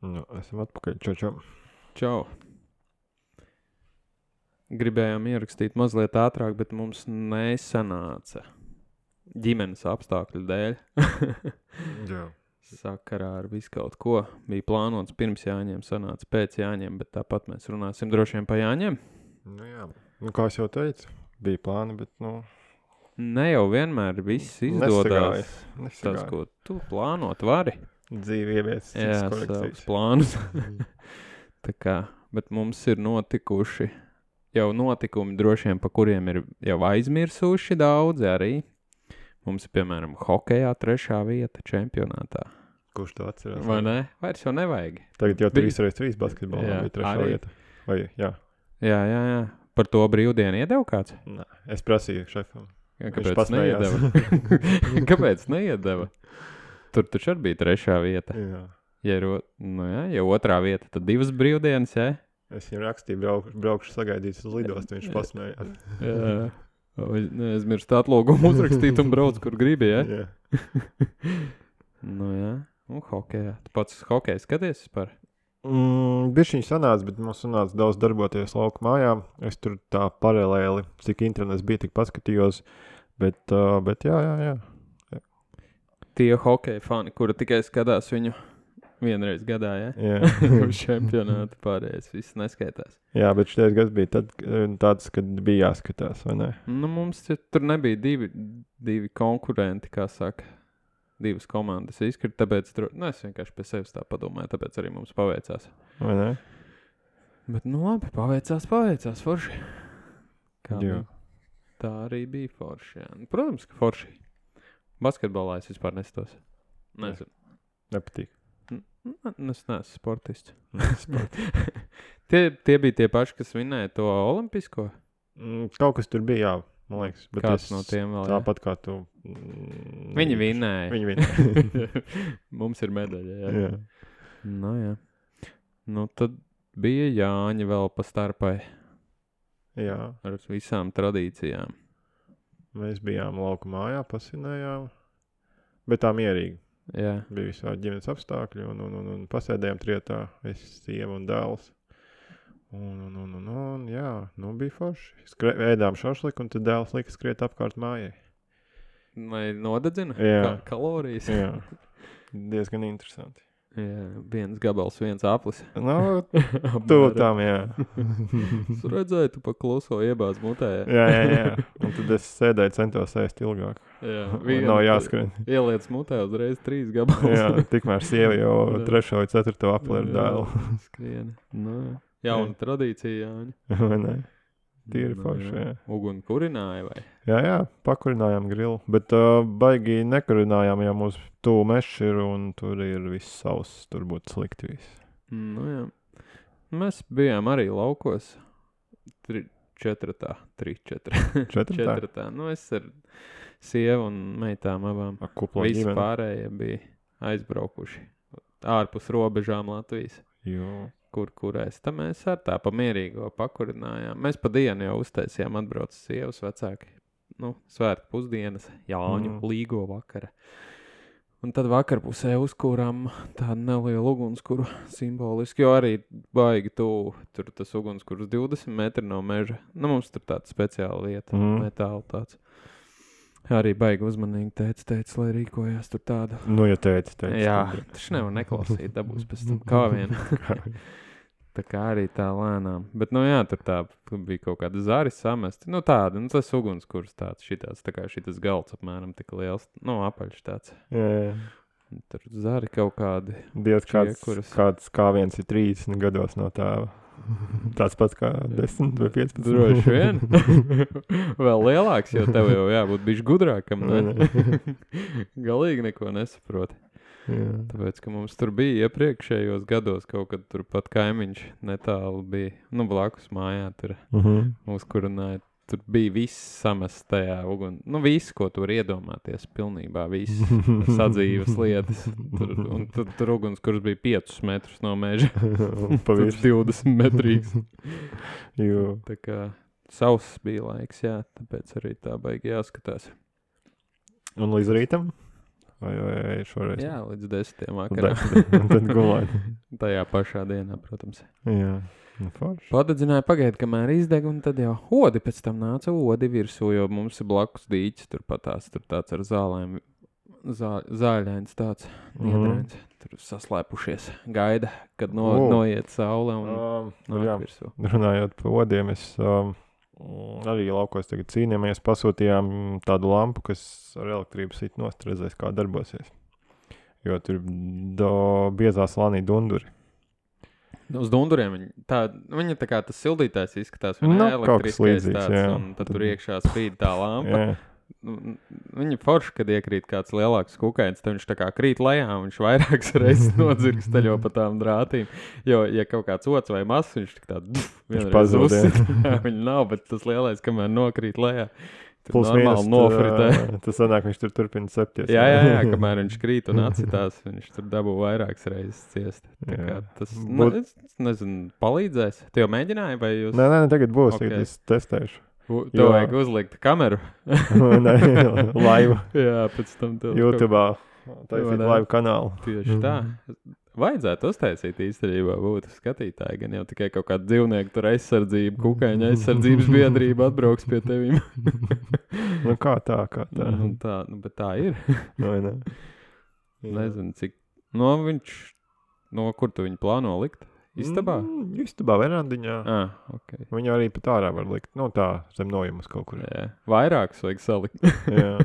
Nu, esam atpakaļ. Čau. Čau. Gribējām ierakstīt mazliet ātrāk, bet mums nesanāca ģimenes apstākļu dēļ. Jā. Sakarā ar visu kaut ko. Bija plānots pirms Jāņiem, sanāca pēc Jāņiem, bet tāpat mēs runāsim droši vien pa Jāņiem. Nu jā. Nu, kā es jau teicu, bija plāni, bet, Ne jau vienmēr viss izdodas. Nesagāja. Tas, ko tu plānot vari. Dzīve ievies Jā, citas savus korekcijas. plānus. Tā kā, bet mums ir notikuši jau notikumi droši vien, pa kuriem ir jau aizmirsuši daudzi arī. Mums ir, piemēram, hokejā 3. vieta čempionātā. Kurš to atcerās? Vai ne? Vairs jau nevajag. Tagad jau Bija- 3x3 basketbolā Jā, bija 3. arī. vieta. Vai, jā. Jā. Par to brīvdienu iedeva kāds? Nē, es prasīju šefam. Kāpēc pasmējās. neiedeva? Kāpēc neiedeva? Tur taču arī bija 3. vieta. Jā. Ja 2. vieta, tad 2 brīvdienas, jā? Es viņam rakstīju, braukšu sagaidīt uz lidostu, viņš pasmējās. Jā. Neaizmirst atlūgumu uzrakstīt un brauc, kur gribi, jā? Jā. Jā. Un hokejā. Tu pats uz hokeju skaties par? Bišķiņ sanāca, bet mums sanāca daudz darboties lauku mājā. Es tur tā paralēli, cik internets bija, tik paskatījos. Bet jā. Tie hokeja fani, kuri tikai skatās viņu vienreiz gadā, jā? Jā. Uz čempionātu pārējais, viss neskaitās. Jā, bet šitais gads bija tāds, kad bija jāskatās, vai ne? Nu, mums tur nebija divi konkurenti, kā saka. 2 komandas izkrita, tāpēc es vienkārši pie sevis tā padomāju, tāpēc arī mums paveicās. Vai ne? Bet, labi, paveicās, forši. Kā Jā. bija? Tā arī bija forši, jā. Protams, ka forši. Basketbolā es vispār nestos. Nezinu. Nepatīk. Es neesmu sportists. tie bija tie paši, kas vinēja to olimpisko? Kaut kas tur bija, jā, man liekas. Bet Kāds no tiem vēl, jā? tāpat kā tu. Viņi vinēja. Viņi vinēja. Mums ir medaļa, jā. Jā. Jā. Nu, tad bija Jāņi vēl pa starpai Jā. ar visām tradīcijām. Mēs bijām lauku mājā, pasinējām. Bet tā mierīgi. Jā. Bija visādi ģimenes apstākļi un pasēdējām trietā. Es, sieva un dēls. Un jā, bija forši. Ēdām šašliku un tad dēls lika skriet apkārt mājai. Vai nodedzina? Jā. Kalorijas? Jā. Diezgan interesanti. Jā, 1 gabals, 1 aplis. Tu tam, jā. Es redzēju, tu pa kluso iebāz mutē. Jā. Un tad es sēdēju, centos ēst ilgāk. Jā. Nav jāskrien. Ieliec mutē uzreiz 3 gabals. Jā, tikmēr sieva jau 3. vai 4. apli ar dēlu. Skrien. Jauna tradīcija, Jāņi. Vai ne? Tīri forši, jā. Uguni kurināja vai? Jā, pakurinājām grilu, bet baigi nekurinājām, ja mūs tuvu mešs ir un tur ir viss sauss, tur būtu slikti viss. Jā. Mēs bijām arī laukos 4. Es ar sievu un meitām abām. Kuplā Visi ģimene. pārējie bija aizbraukuši ārpus robežām Latvijas. Jo. Kurēs. Tā mēs ar tā pamierīgo pakurinājām. Mēs pa dienu jau uztaisījām atbrauc sievas vecāki. Svētku pusdienas, Jāņu līgo vakara. Un tad vakarpusē uzkūrām tādu nelielu ugunskuru simboliski, jo arī baigi tuvu. Tur tas ugunskurs 20 metri no meža. Mums tur tāda speciāla vieta, metāla tāds. Arī baigi uzmanīgi teica, lai rīkojās tur tādu. Ja teica. Jā, taču nevar neklausīt, dabūs pēc tam kā vien. Tā kā arī tā lēnām. Bet, tur bija kaut kāda zari samesti. Tāda, tas ugunskurs tāds, šitāds, tā kā šitas galds apmēram tik liels, apaļš tāds. Jā. Tur zari kaut kādi. Dievs, kāds kāviens ir 30 gados no tēva. Tāds pats kā 10 vai 15. Droši vien. Vēl lielāks, jo tev jau jābūt bišķi gudrākam. Galīgi neko nesaproti. Jā. Tāpēc, ka mums tur bija iepriekšējos gados kaut kad turpat kaimiņš netālu bija, blakus mājā tur uzkurināja. Tur bija viss samests tajā viss, ko tu vari iedomāties, pilnībā viss sadzīves lietas. Tur ugunskurs bija 5 metrus no meža. Tur 20 metrīgs. Jo. Tā kā sauss bija laiks, jā, tāpēc arī tā baigi jāskatās. Un līdz rītam? Vai šoreiz? Jā, līdz 10 vakarā. Tad gulēt. Tajā pašā dienā, protams. Jā, forši. Padedzināja pagaid, kamēr izdeg, un tad jau odi pēc tam nāca odi virsū, jo mums ir blakus dīķis, tur patās, tur tāds ar zālēm, zāļains tāds, niedrēns, tur saslēpušies, gaida, kad noiet saule un nāk virsū. Runājot par odiem, es arī laukos tagad cīnījāmies, pasūtījām tādu lampu, kas ar elektrību sit nost, redzēs, kā darbosies. Jo tur biezā slānī dunduri. Uz dunduriem viņa tā kā tas sildītājs izskatās, viņa elektriskais tāds, jā. Un tad tur iekšā spīd tā lampa. Jā. Viņa forši, kad iekrīt kāds lielāks kukainis, tad viņš tā kā krīt lejā, un viņš vairākas reizes nodzirksteļo pa tām drātīm. Jo, ja kaut kāds ots vai mazs, viņš tik tā vienreiz uzsit. Viņa nav, bet tas lielais, kamēr nokrīt lejā. Tur normāli nofritē. Tas sanāk, viņš tur turpina septies. Jā, kamēr viņš krīt un atcitās, viņš tur dabū vairākas reizes ciest. Tā kā tas, nezinu, palīdzēs. Tu jau mēģināji, vai jūs? Nē, tagad būs, tagad es testēšu. Tev vajag uzlikt kameru. Nē, laivu. Jā, pēc tam tev. YouTube'ā taisīt laivu kanālu. Tieši tā. Vajadzētu uztaisīt īstenībā būtu skatītāji, gan jau tikai kaut kāda dzīvnieku tur aizsardzība, kukaiņa aizsardzības biedrība atbrauks pie tevīm. Nu kā tā? Bet tā ir. Vai ne? Nezinu, cik. Kur tu viņu plāno likt? Istabā? Istabā, verandiņā. Okay. Viņu arī pat ārā var likt. Tā, zem nojumas kaut kur. Jā. Vairākus vajag salikt. Jā.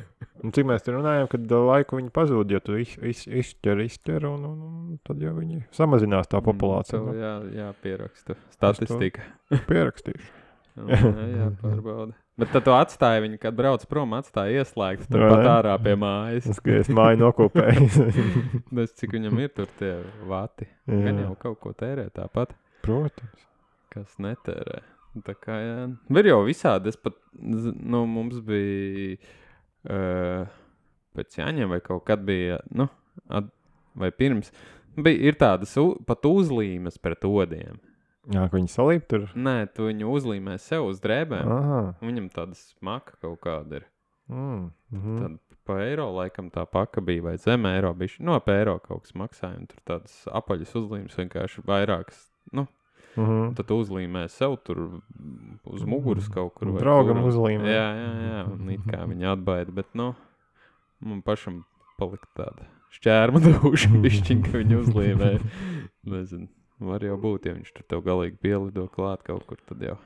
Un cik mēs te runājam, kad laiku viņi pazūd, ja tu izķer, un tad jau viņi samazinās tā populācija. Jā, pierakstu. Statistika. Pierakstīšu. Jā, pārbauda. Bet tad tu atstāji viņu, kad brauc prom, atstāji ieslēgt tur pat ārā pie mājas. Es māju nokopēju. Cik viņam ir tur tie vati. Gan jau kaut ko tērē tāpat. Protams. Kas netērē. Tā kā, jā. Ir jau visādi. Es pat, mums bija pēc Jāņiem vai kaut kad bija, vai pirms, ir tādas pat uzlīmes pret odiem. Jā, ka viņi salīp tur? Nē, tu viņu uzlīmē sev uz drēbēm. Viņam tāda smaka kaut kāda ir. Tad pa eiro laikam tā paka bija, vai zem eiro bišķi. Pa eiro kaut kas maksāja, un tur tādas apaļas uzlīmes vienkārši vairākas, tad uzlīmē sev tur uz muguras kaut kur. Draugam uzlīmē. Jā, un it kā viņa atbaida, bet, man pašam palika tāda šķērma dūša bišķiņ, ka viņa uzlīmē. Nezinu. Var jau būt, ja viņš tur tev galīgi pielido klāt kaut kur, tad jau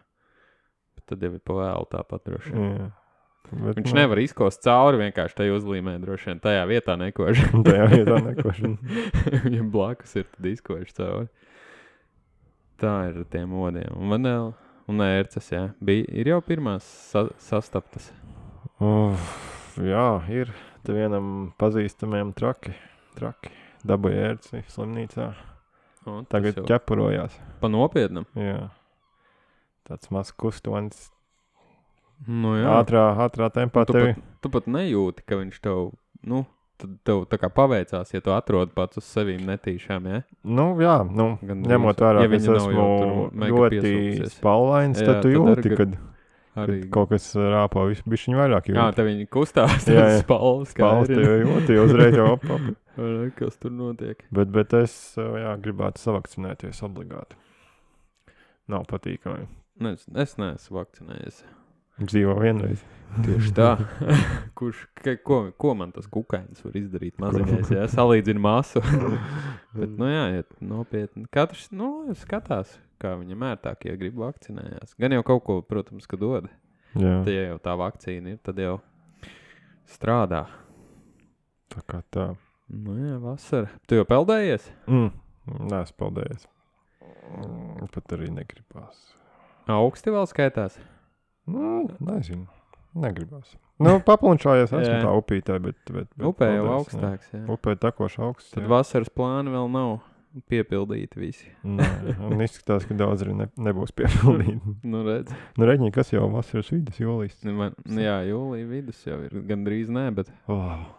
ir pa vēlu tāpat droši vien. Viņš nevar izkost cauri vienkārši tajā uzlīmē droši vien, tajā vietā nekož. Viņam blakus ir, tad izkož cauri. Tā ir ar tiem odiem. Un vanēl, un ērces, jā. Ir jau pirmās sastaptas. Jā, ir. Te vienam pazīstamiem traki. Dabūja ērci slimnīcā. Tagad ķepurojās. Pa nopietnam? Jā. Tāds maz kustonis. Jā. Ātrā tempā tevi. Tu pat nejūti, ka viņš tev, tad tev tā kā paveicās, ja tu atrodi pats uz sevīm netīšām, ja? Jā, ņemot vērā, ka es esmu ļoti spalvains, tad tu jūti, kad kaut kas rāpo bišķiņ vairāk jūti. Te viņi kustās, spalvas tevi jūti, uzreiz jau op. Kas tur notiek? Bet es, gribētu savakcinēties obligāti. Nav patīkami. Es neesmu vakcinējies. Dzīvo vienreiz. Tieši tā. Ko man tas kukainis var izdarīt maziņais, ja salīdzina masu? Bet, ja nopietni. Katrs, skatās, kā viņam ērtāk, ja grib vakcinējās. Gan jau kaut ko, protams, ka dod. Jā. Tad, ja jau tā vakcīna ir, tad jau strādā. Tā kā tā. Jā, vasara. Tu jau peldējies? Nē, es peldējies. Pat arī negribās. Augsti vēl skaitās? Nezinu. Negribās. Paplunčājies esmu tā upītē, bet upē jau augstāks, jā. Upē tekoši augsts, Tad vasaras plāni vēl nav piepildīti visi. Nē, un izskatās, ka daudz arī nebūs piepildīti. Redz. Reģiņi, kas jau vasaras vidus, jūlijas? Jā, jūlija vidus jau ir gandrīz nē, bet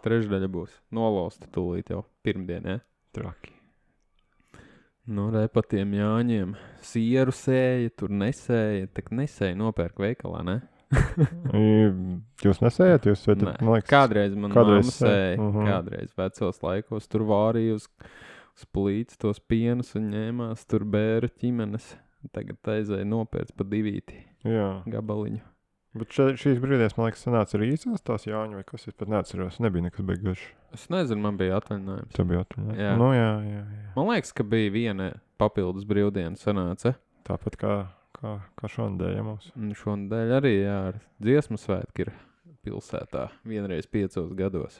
trešdaļa būs nolosta tūlīt jau pirmdien, ja? Traki. Pa tiem Jāņiem sieru sēja, tur nesēja, tak nesēja nopērk veikalā, ne? Jūs nesējat? Kādreiz man mamma sēja, kādreiz vecos laikos tur vārīja splīts tos pienus un ņēmās tur bēru ķimenes. Tagad aizēja nopērts pa 2 gabaliņu. Bet šīs brīdēs, man liekas, sanāca arī īsās tās Jāņu, vai kas es pat neatceros. Nebija nekas beigas. Es nezinu, man bija atvaļinājums. Tā bija atvaļinājums. Jā. Nu, jā. Man liekas, ka bija viena papildus brīvdiena sanāca. Tāpat kā šonadēļ, ja mums. Un šonadēļ arī, jā, ar dziesmu svētki ir pilsētā vienreiz 5 gados.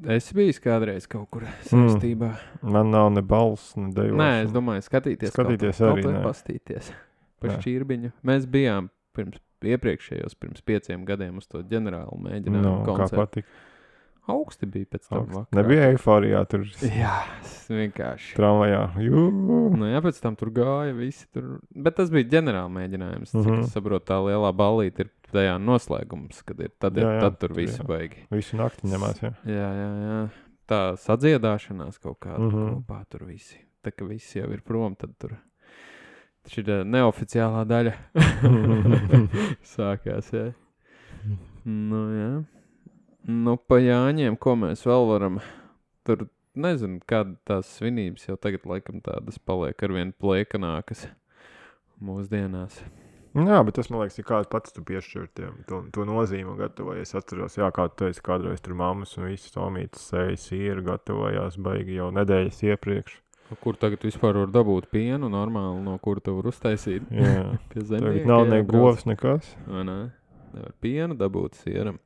Es biju kādreiz kaut kur saistībā. Man nav ne balss, ne dejošana. Nē, es domāju, skatīties arī, kaut pastīties par šķirbiņu. Mēs bijām pirms 5 gadiem uz to ģenerālu mēģinājumu koncertu. Kā patika? Augsti bija pēc tam vakarā. Nebija eiforijā tur. Jā, vienkārši. Tramvajā. Nu jā, pēc tam tur gāja visi tur. Bet tas bija ģenerāla mēģinājums. Cik es saprotu, tā lielā ballīte ir tajā noslēgums, kad ir tad tur visi baigi. Visu nakti ņemās, jā. Jā. Tā sadziedāšanās kaut kāda kopā tur visi. Tā kā visi jau ir prom, tad tur šī neoficiālā daļa sākās, jā. Nu, jā. Nu, pa Jāņiem, ko mēs vēl varam, tur, nezinu, kāda tās svinības jau tagad laikam tādas paliek arvien plēkanākas mūsdienās. Jā, bet tas, man liekas, ir kāds pats tu piešķir to nozīmu gatavojies. Atceros, jā, kā tu teici, kādreiz tur mammas un visas tomītas sēja sieru gatavojās baigi jau nedēļas iepriekš. Kur tagad vispār var dabūt pienu normāli, no kur tu var uztaisīt? Jā, pie zemnieka. Tagad nav ne govs, nekas. Vai ne? Nevar pienu dabūt sieram.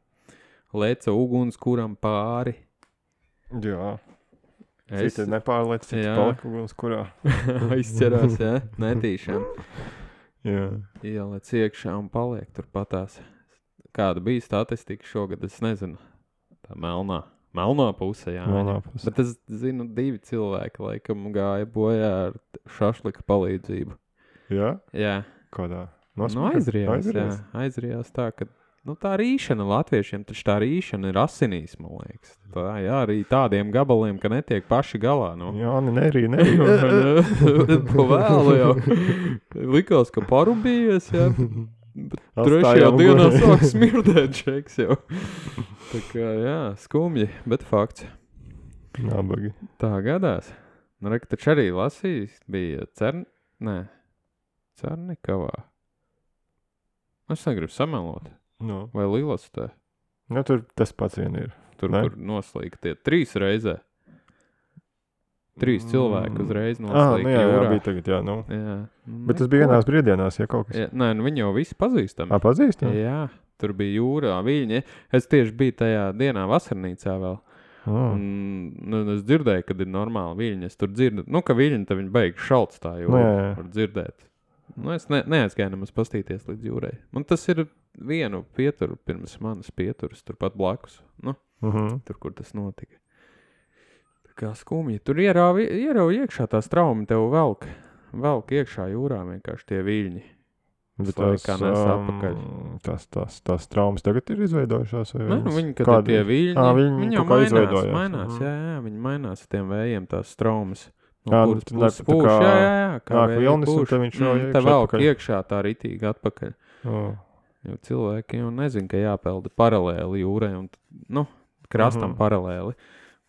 Leca uguns, kuram pāri. Jā. Citi nepārlec, citi palika uguns, kurā. Izcerās, jā, netīšām. Jā. Ielec iekšā un paliek tur patās. Kāda bija statistika šogad, es nezinu. Tā melnā puse, jā. Melnā puse. Bet es zinu, 2 cilvēki laikam gāja bojā ar šašlika palīdzību. Jā? Jā. Kādā? Nu, aizrijās, jā. Aizrijās tā, ka tā rīšana latviešiem, taču tā rīšana ir asinīs, man liekas. Tā, jā, arī tādiem gabaliem, ka netiek paši galā. Nu. Jā, nerī. Po vēlu jau. Likās, ka parubījies, jā. Bet 3. dienā sāk smirdēt šeiks jau. Tā kā, jā, skumji, bet fakts. Nabagi. Tā gadās. Nu, reka, taču arī lasījis, bija Cernikavā. Es negribu samelot. No. Vai Lilastē? Nu, tur tas pats vien ir. Tur, kur noslīga tie 3 reizē. 3 cilvēki uzreiz noslīga jūrā. Jā, bija tagad, jā, nu. Jā. Bet tas bija vienās brīvdienās, ja kaut kas. Jā, nē, nu viņi jau visi pazīstami. Pazīstami? Jā, tur bija jūrā viļņi. Es tieši biju tajā dienā vasarnīcā vēl. Un es dzirdēju, kad ir normāli viļņi. Es tur dzirdu, ka viļņi, tad viņi beig šalts tā jūrā. Var dzirdēt. Es neaizgāju nemaz pastīties līdz jūrai. Un tas ir vienu pieturu pirms manas pieturas, turpat blakus. Tur, kur tas notika. Tā kā skumji. Tur ierauj iekšā tās traumi, tev velk iekšā jūrā vienkārši tie viļņi. Bet kā nes atpakaļ. Tās traumas tagad ir izveidojušās? Nē, viņi, kad ir tie viļņi, viņi jau mainās. Jā, viņi mainās ar tiem vējiem tās traumas. No kuras pūš, jā, kā vilnis, un te viņš jau te velk iekšā tā ritīgi atpakaļ. Jo cilvēki jau nezin, ka jāpelda paralēli jūrai un, krastam paralēli.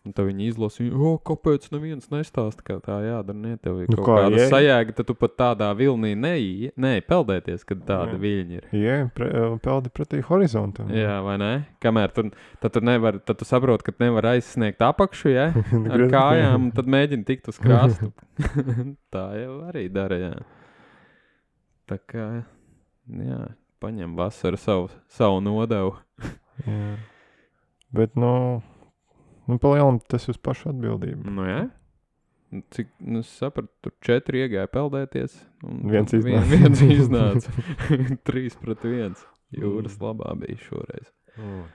Un tad viņi izlasīja, kāpēc neviens nestāsta, kā tā jādara, ne, tev ir kaut kāda sajēga, tad tu pat tādā vilnī peldēties, kad tāda viļņi ir. Jā, peldi pretī horizontam. Jā, vai ne? Kamēr tad tu saproti, ka nevar aizsniegt apakšu, jā, ar kājām, un tad mēģini tikt uz krastu. Tā jau arī dara, jā. Tā kā, jā, paņem vasaru savu nodevu. Jā. Bet, palielam tas uz pašu atbildību. Nu, jā. Cik, es sapratu, tur 4 iegāja peldēties. Un viens iznāca. 3-1. Jūras labā bija šoreiz.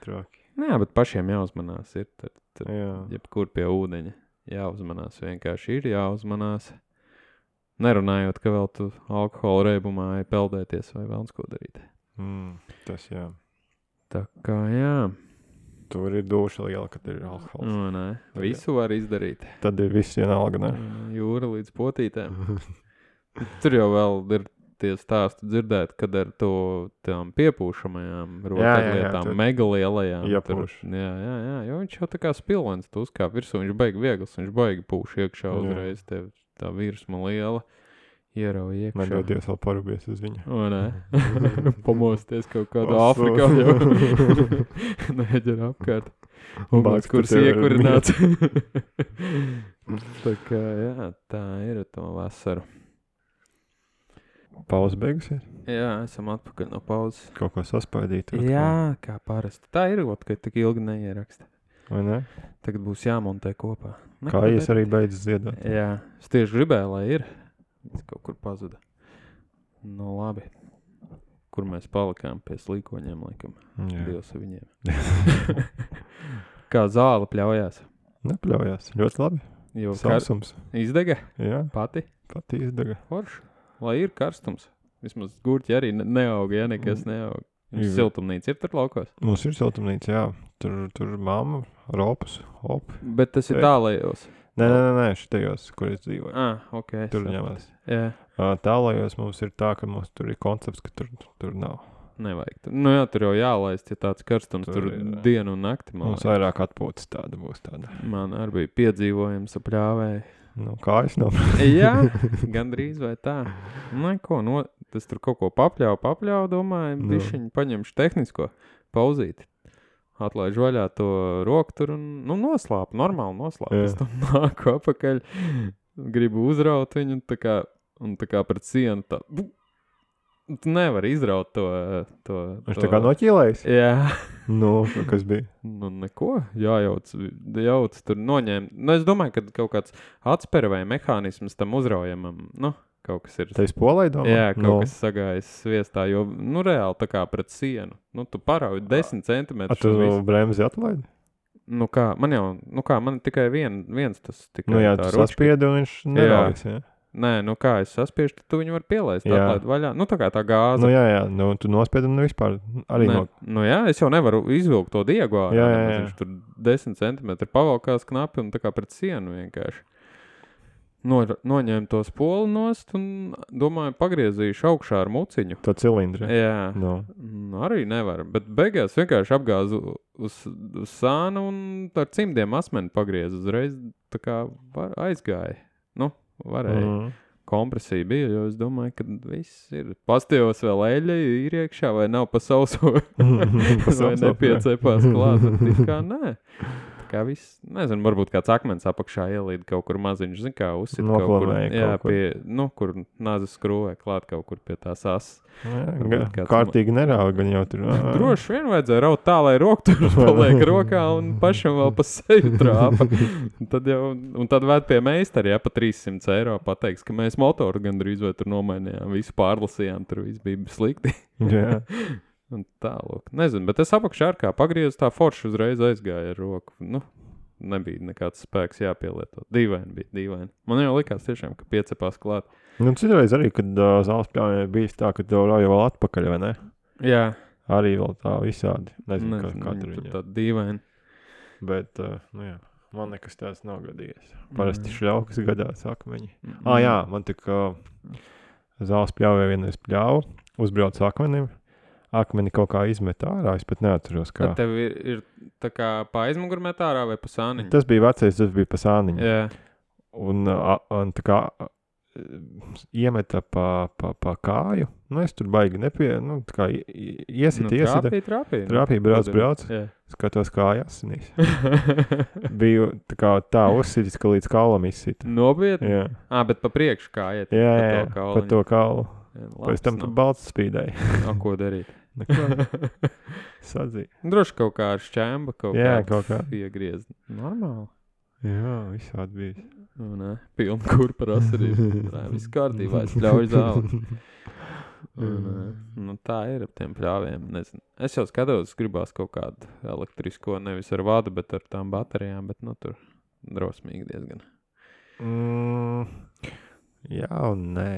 Traki. Jā, bet pašiem jāuzmanās ir. Tad jebkur pie ūdeņa jāuzmanās. Vienkārši ir jāuzmanās. Nerunājot, ka vēl tu alkohola reibumā peldēties vai vēlns ko darīt. Tas jā. Tā kā jā. Tur ir duša liela, kad ir alkohols. Nē, visu var izdarīt. Tad ir viss vienalga, ne? Jūra līdz potītēm. Tur jau vēl ir tie stāsti dzirdēt, kad ar tām piepūšamajām rotaļlietām, mega lielajām. Iepūš. Jā, jo viņš jau tā kā spilvens, tu uzkāp virsū, viņš baigi viegls, viņš baigi pūš iekšā uzreiz, tev tā virsma liela, ierauj iekšā. Man dodies vēl parubies uz viņu. O, nē, pamosties kaut kādā Āfrikā jau neģer apkārt. Uguns, kurs iekurināts. Tā kā, jā, tā ir to vasaru. Pauze beigusies? Jā, esam atpakaļ no pauzes. Kaut ko saspaidīt? Jā, kā parasti. Tā ir, ka tik ilgi neieraksta. Vai ne? Tagad būs jāmontē kopā. Kā es arī beidzu ziedot. Jā, es tieši gribēju, lai ir. Es kaut kur pazuda. Nu, labi. Kur mēs palikām pie slīkoņiem, laikam. Dievs ar viņiem. Kā zāle pļaujās? Nepļaujās. Ļoti labi. Jo Sausums. Izdega? Jā. Pati Izdega. Forši. Lai ir karstums. Vismaz gurķi arī neauga, ja nekas neauga. Siltumnīca ir tur laukos? Mums ir siltumnīca, jā. Tur mamma, ropas, op. Bet tas ir tālajos? Nē, šitajos, kur es dzīvoju. Ok. Tur ņemās. Jā. Tālajos mums ir tā, ka mums tur ir koncepts, ka tur nav. Nevajag. Nu jā, tur jau jālaist, ja tāds karstums, tur dienu un nakti. Mums vairāk atpūtas tāda būs tāda. Man arī bija piedzīvojums ap pļāvēju. Nu, kājas nav. Jā, gandrīz vai tā. Neko, tas tur kaut ko papļauju, domāju, bišķiņ paņemšu tehnisko pauzīti. Atlaižu vaļā to roku tur un noslāpu, normāli noslāpu. Es tam nāku apakaļ, gribu uzraut viņu un tā kā pret sienu tā. Tu nevari izraut to. Viņš tā kā noķīlējis? Jā. Nu, kas bija? Nu, neko. Jauc tur noņēma. Nu, es domāju, ka kaut kāds atspera vai mehānisms tam uzraujamam, kaut kas ir. Tā ir spolai domā? Jā, kas sagājas sviestā, jo, reāli tā kā pret sienu. Tu parauj 10 centimetrus. Tu bremzi atlaidi? Nu kā, man tikai viens tas tikai Nu jā, tu saspiedi un viņš neraujas, jā. Nē, kā es saspiešu, tad tu viņu var pielaist, atlaid vaļā. Tā kā tā gāze. Nu jā, tu nospiedi un vispār arī Nu jā, es jau nevaru izvilkt to diegu ārā. Jā. Viņš tur 10 centimetri pavalkās knapi un tā kā pret sienu vienkārši. Noņēmu to spolu nost un, domāju, pagriezīšu augšā ar muciņu. To cilindri. Jā. Arī nevar, bet beigās vienkārši apgāzu uz sānu un ar cimdiem asmeni pagriezu uzreiz, tā kā aizgāja. Varēja. Kompresija bija, jo es domāju, ka viss ir. Pastījos vēl eļļa ir iekšā, vai nav pa sauso, vai nepiecepās klāt. Tā kā nē. Tā kā viss, nezinu, varbūt kāds akmens apakšā ielīd kaut kur maziņš, zin kā uzsit kaut kur. Jā, kur nāzes skrūvē klāt kaut kur pie tās asas. Kārtīgi nerauj, gan jau tur. Droši vien vajadzēja raut tā, lai roku tur paliek rokā un pašam vēl pa seju trāpa. Tad vēd pie meistari, pa 300 eiro pateiks, ka mēs motoru gandrīz vai tur nomainījām, visu pārlasījām, tur viss bija slikti. Jā. Un tā, lūk. Nezinu, bet es apakšā ar kā pagriezu, tā forši uzreiz aizgāja ar roku. Nebija nekāds spēks jāpielieto. Dīvaini. Man jau likās tiešām, ka piecepās klāt. Citreiz arī, kad zāles pļāvē bijis tā, ka tev rauja vēl atpakaļ, vai ne? Jā. Arī vēl tā visādi. Nezinu, kā tur viņa. Tā dīvaini. Bet, jā, man nekas tāds nav gadījies. Parasti šļaukas gadās akmeņi. Jā, man tik zāles pļāvē vienreiz pļāvu, uzbrauc akmenim. Akmeni kaut kā izmet ārā, es pat neatceros kā. Tad tev ir tā kā pa aizmuguru met ārā vai pa sāniņu? Tas bija vecais, tas bija pa sāniņu. Jā. Un tā kā iemeta pa kāju. Es tur baigi tā kā iesita. Trāpīja, brauc. Skatos kāju asinīs. Biju tā uzsitis, ka līdz kaulam izsita. Nopietni? Jā. Bet pa priekšu kājiet. Jā, pa to kaulu. Pēc tam pa balts spīdēja. Ko darīt? Neko. Sadzīja. Droši kaut kā ar šķēmba kaut kā iegriezt. Normāli. Jā, visādi bijis. Pilna kurpa rasarība. Viss kārtībā, es pļauju zāli. Tā ir ap tiem pļāviem. Nezinu. Es jau skatos, gribās kaut kādu elektrisko, nevis ar vadu, bet ar tām baterijām, bet tur drosmīgi diezgan. Jā un nē.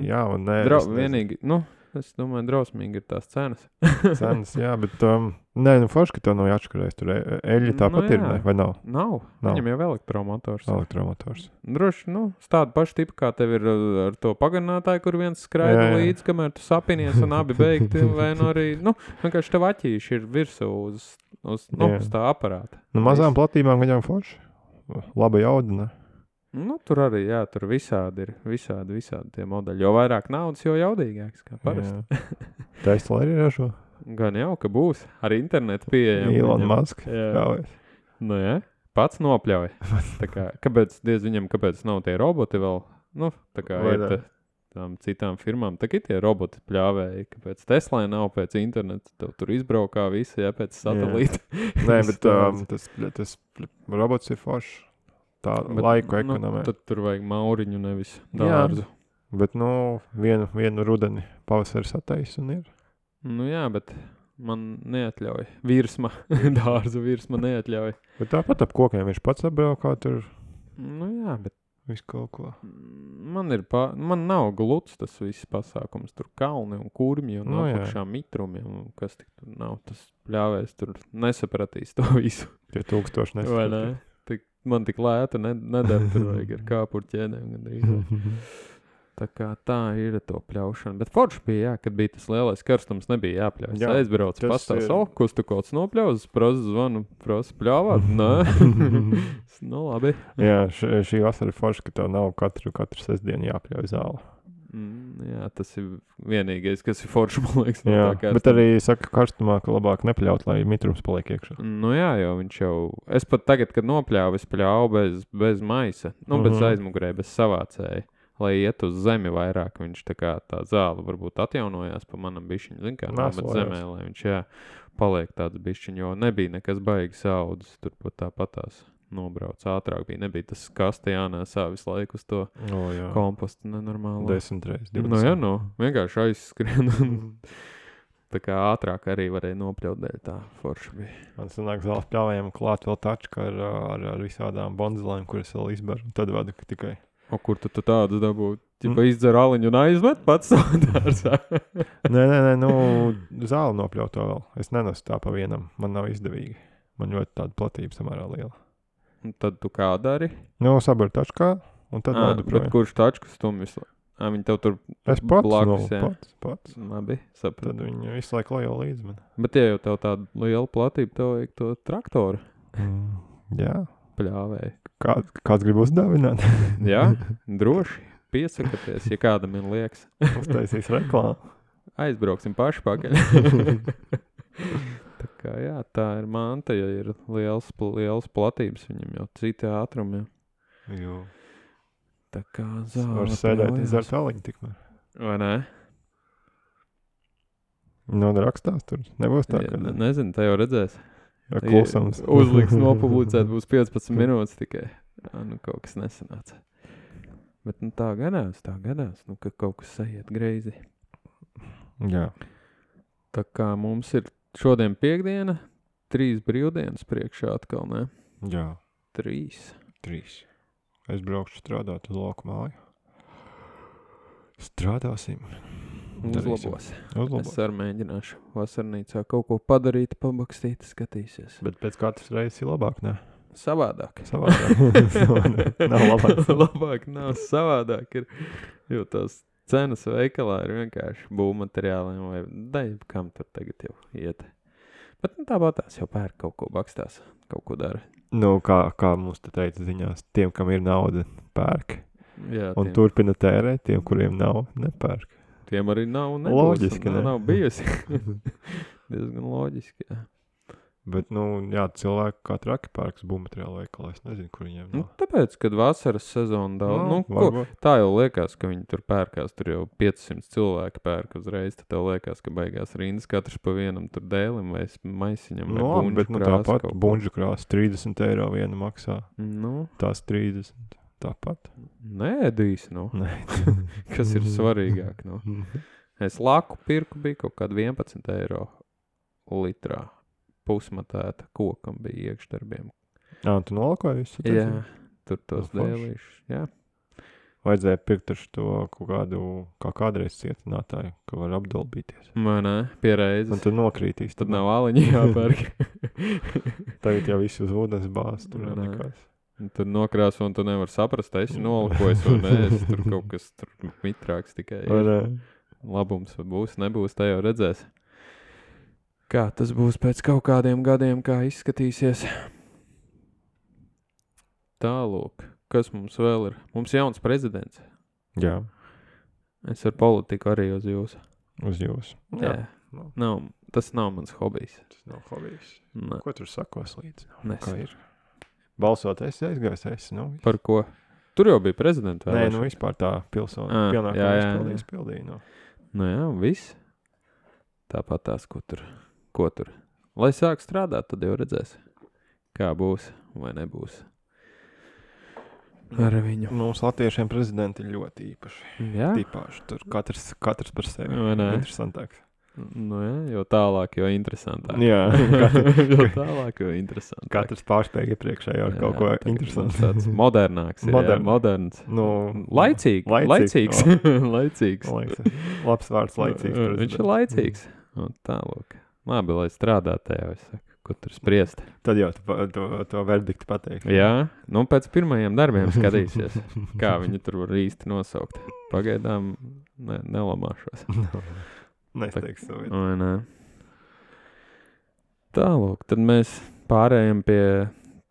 Jā un nē. Vienīgi, es domāju, drausmīgi ir tās cenas. Cenas, jā, bet nē, nu forši, ka to nav jāatškarēs. Tur eļļa tāpat ir, ne? Vai nav? Nav. Viņam jau elektromotors. Droši, tāda paša tipa, kā tev ir ar to pagarinātāju, kur viens skraida līdz, kamēr tu sapinies un abi beigti, vai nu arī, vienkārši tev aķīši ir virsū uz tā aparāta. Mazām platībām viņam forši. Laba jauda, ne? Tur arī, tur visādi ir, visādi tie modeļi. Jo vairāk naudas, jo jaudīgāks, kā parasti. Tesla arī ražo. Gan jau, ka būs. Ar internetu pieejam. Elon Musk. Jā. Pats nopļauj. Kāpēc nav tie roboti vēl? Tā kā ir tām citām firmām. Tā ir tie roboti pļāvēji. Kāpēc Teslai nav pēc interneta? Tev tur izbraukā visi, pēc satelīta. Nē, bet tas robots ir foršs. Tā laiku ekonomē. Tad tur vajag mauriņu, nevis dārzu. Bet, vienu rudeni pavasaris attais un ir. Bet man neatļauj. Dārzu virsma neatļauj. Bet tāpat ap kokiem viņš pats apbraukā tur. Bet visu kaut ko. Man nav gluds tas viss pasākums. Tur kalni un kurmi un apakšā mitrumi. Kas tik tur nav, tas pļāvējs tur nesapratīs to visu. Tie 1000 nesapratīs. Man tik lēta nedara, tur vajag ar kāpuru ķēdēm. Tā kā tā ir to pļaušana. Bet forši bija, kad bija tas lielais karstums, nebija jāpļauj. Es aizbraucu, pastāv kus tu kaut nopļauz, zvanu, pļāvāt? Nē. Labi. Jā, šī vasara ir forši, ka tev nav katru sestdienu jāpļauj zāli. Tas ir vienīgais, kas ir forši, man liekas. Bet arī saka karstumā, ka labāk nepļaut, lai mitrums paliek iekšā. Jo viņš jau... Es pat tagad, kad nopļāvu, es pļāvu bez maisa, bez aizmugurē, bez savācēja, lai iet uz zemi vairāk. Viņš tā zāle varbūt atjaunojās pa manam bišķiņu, zin kā, bet zemē, lai viņš paliek tāds bišķiņu, jo nebija nekas baigi saudzes, tur pat tāpatās. Nobrauc ātrāk nebija tas kaste jānēsā visu laiku uz to kompostu nenormāli. 10 reizes, 20. Vienkārši aizskrien. Tā kā ātrāk arī varēja nopļaut dēļ tā forša bija. Man sanāk zāles pļāvējiem klāt vēl tačka ar visādām bonzelēm, kuras vēl izber, un tad vada tikai. Kur tu tādas dabūtu? Izdzer aliņu un aizmet pats savu dārzā. Nē, zāli nopļaut to vēl. Es nenesu tā pa vienam, man nav izdevīgi. Man ļoti tāda platība samērā liela. Un tad tu kā dari? Sabar tačkā, un tad vadu projām. Bet kurš tačkas tu visu? Viņi tev tur es pats, blakus, pats. Labi, sapratu. Tad viņi visu laiku lajo līdz man. Bet ja jau tev tāda liela platība, tev vajag to traktoru. Jā. Pļāvēji. Kāds grib uzdāvināt? Jā, droši. Piesakaties, ja kādam ir liekas. Uztaisīs reklāmu. Aizbrauksim paši pakaļ. Tā kā tā ir manta, ja ir liels platības, viņam jau citi ātrumi. Jo. Tā kā zāle var sēdēt izdzer tāliņu tikmēr. Vai ne? Rakstās tur, nebūs tā, ka... Nezinu, tā jau redzēs. Klusums. Uzliks nopublicēt, būs 15 minūtes tikai. Kaut kas nesanāca. Bet tā gadās, ka kaut kas sajiet greizi. Jā. Tā kā mums ir šodien piekdiena, 3 brīvdienas priekšā atkal, ne? Jā. 3. Es braukšu strādāt uz lauku māju. Strādāsim. Uzlabos. Es arī mēģināšu vasarnīcā kaut ko padarīt, pabakstīt, skatīsies. Bet pēc katras reizes ir labāk, ne? Savādāk. Nav labāk. Labāk nav, savādāk ir, jo tās cenas veikalā ir vienkārši būvmateriāliem vai kam tur tagad jau iet. Bet tāpat tās jau pērk kaut ko bakstās, kaut ko dara. Kā mums te teica ziņās, tiem, kam ir nauda, pērk. Jā, un turpina tērēt, tiem, kuriem nav, nepērk. Tiem arī nav nebūs. Loģiski, ne? Nav bijusi. Diezgan loģiski, jā. Bet, cilvēki kā traki pērks būvmateriālu veikalā, es nezinu, kur viņiem nav. Tāpēc, kad vasaras sezona daudz, tā jau liekas, ka viņi tur pērkās, tur jau 500 cilvēki pērk uzreiz, tad tev liekas, ka beigās rindas katrs pa vienam tur dēlim vai maisiņam vai buņģu krāsu. Bet, tāpat buņģu krāsu 30 eiro viena maksā. Tās 30, tāpat. Nēdīs, Nē. Kas ir svarīgāk, Es laku pirku bija kaut kādu 11 eiro litrā. Pusmatēta kokam bija iekšdarbiem. Tu nolakoji visu? Jā, tur tos dēlīšus, jā. Vajadzēja pirkt ar to kaut kādu, kā kādreiz cietinātāju, ka var apdolbīties. Man nē, pierēzes. Un tu nokrītīs. Tad nav āliņi jāpērk. Tagad jau viss uz ūdens bāz, tur jau nekās. Tur nokrāso un tu nevar saprast, esi nolikojis vai nē, tur kaut kas tur mitrāks tikai ir. Labums būs, nebūs, tā jau redzēs. Kā tas būs pēc kaut kādiem gadiem, kā izskatīsies. Tālūk, kas mums vēl ir? Mums jauns prezidents. Jā. Es ar politiku arī uz jūsu. Uz jūsu. Jā. Nav, tas nav mans hobijs. Tas nav hobijs. Ne. Ko tur sakos līdzi? Nesen. Kā ir? Balsot esi aizgājis, nu. Par ko? Tur jau bija prezidenta Nē, vēlēšana. nu vispār tā pilsona pienākuma izpildīja. No. Nu jā, viss. Tāpat tās, ko tur. Lai sāk strādāt, tad jau redzēs, kā būs vai nebūs. Ar viņu. Mums latviešiem prezidenti ir ļoti īpaši. Jā? Tīpaši. Tur katrs par sevi. Vai ne? Interesantāks. Nu jā, jo tālāk, jo interesantāk. Jā. Jo tālāk, jo interesantāk. Katrs pārspēja iepriekšējo ar kaut ko interesantu. Tāds modernāks ir, jā, moderns. Nu, Laicīgs. Laicīgs. Labs vārds laicīgs. Viņš ir laicīgs. Un tālāk. Labi, lai strādā tajā, es saku, ko tur spriest. Tad jau to verdiktu pateiks. Jā, nu pēc pirmajiem darbiem skatīsies, kā viņi tur var īsti nosaukt. Pagaidām nelamāšos. Nesteiks savu. Vai nē. Tālūk, tad mēs pārējām pie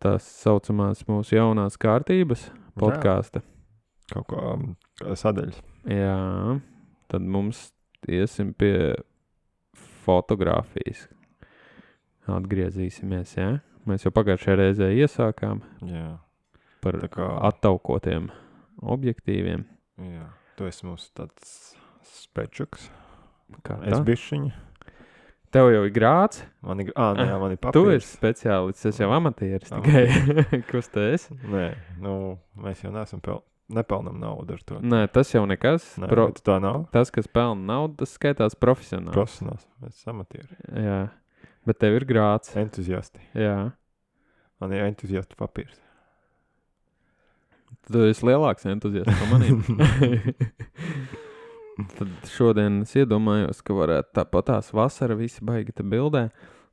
tās saucamās mūsu jaunās kārtības podkāsta. Kaut kā sadaļas. Jā, tad mums iesim pie fotogrāfijas. Atgriezīsimies, jā? Mēs jau pagājušajā reizē iesākām par attaukotiem objektīviem. Jā, tu esi mums tāds spečuks. Kā es bišķiņa. Tev jau ir grāts? Man ir papīrs. Tu esi speciālists, es jau amatieris tikai. Kas te esi? Nē, mēs jau neesam nepelnam naudu ar to. Nē, tas jau nekas. Nē, tā nav. Tas, kas pelna naudu, tas skaitās profesionāls. Profesionāls, mēs esam amatieri. Jā, bet tev ir grāts. Entuziasti. Jā. Man ir entuziasta papīrs. Tu esi lielāks entuziasts par maniem. Tad šodien es iedomājos, ka varētu tāpatās vasara visi baigi te bildē.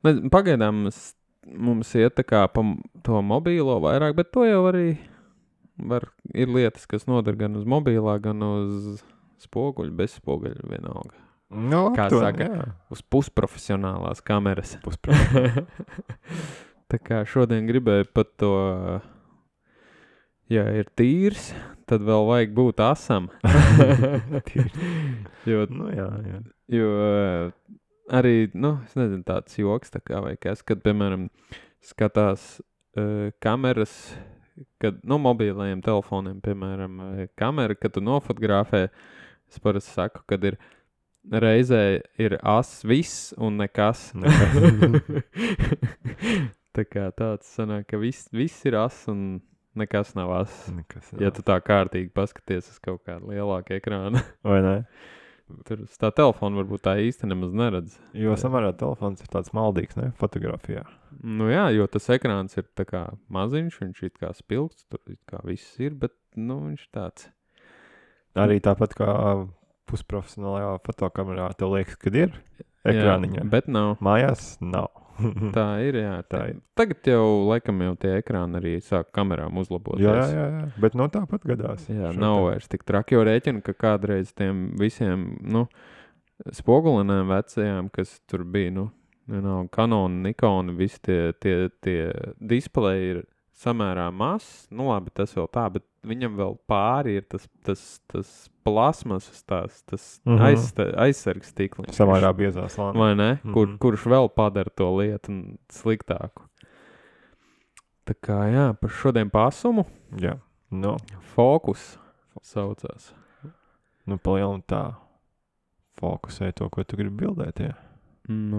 Pagaidām mums iet tā kā pa to mobīlo vairāk, bet to jau arī ir lietas, kas noder gan uz mobīlā, gan uz spoguļu, bez spoguļu vienalga. No, kā saka, uz pusprofesionālās kameras. Tā kā šodien gribēju pat to, ja ir tīrs, tad vēl vajag būt asam. jo arī, es nezinu, tāds joks tā kā vai kas, kad, piemēram, skatās kameras, kad, mobīlajiem telefoniem, piemēram, kamera, kad tu nofotografē, es parasti saku, kad ir reizē ir as viss un nekas. Tā kā tāds sanāk, ka viss ir as un nekas nav as. Ja tu tā kārtīgi paskaties uz kaut kādu lielāku ekrānu. Vai ne? Tur tā telefona varbūt tā īsti nemaz neredz. Jo samērā telefons ir tāds maldīgs, ne? Fotografijā. Nu jā, jo tas ekrāns ir tā kā maziņš, viņš ir kā spilgts, tur kā viss ir, bet, viņš tāds. Arī tāpat kā pusprofesionālajā fotokamerā tev liekas, kad ir ekrāniņā. Jā, bet nav. Mājās nav. Tā ir, jā. Tā ir. Tagad jau, laikam, jau tie ekrāni arī sāk kamerām uzlaboties. Jā. Bet tāpat gadās. Jā, nav vairs tik traki, jo rēķina, ka kādreiz tiem visiem, spogulinēm vecajām, kas tur bija, Canon, Nikon, visi tie displeji ir samērā mazs. Labi, tas vēl tā, bet viņam vēl pāri ir tas plasmasas, tas aizsargs stikliņš. Samērā biezā slānī. Vai ne? Kurš vēl padara to lietu sliktāku. Tā kā, jā, par šodien pasumu. Jā, Fokus saucās. Palielam tā fokusē to, ko tu gribi bildēt, jā.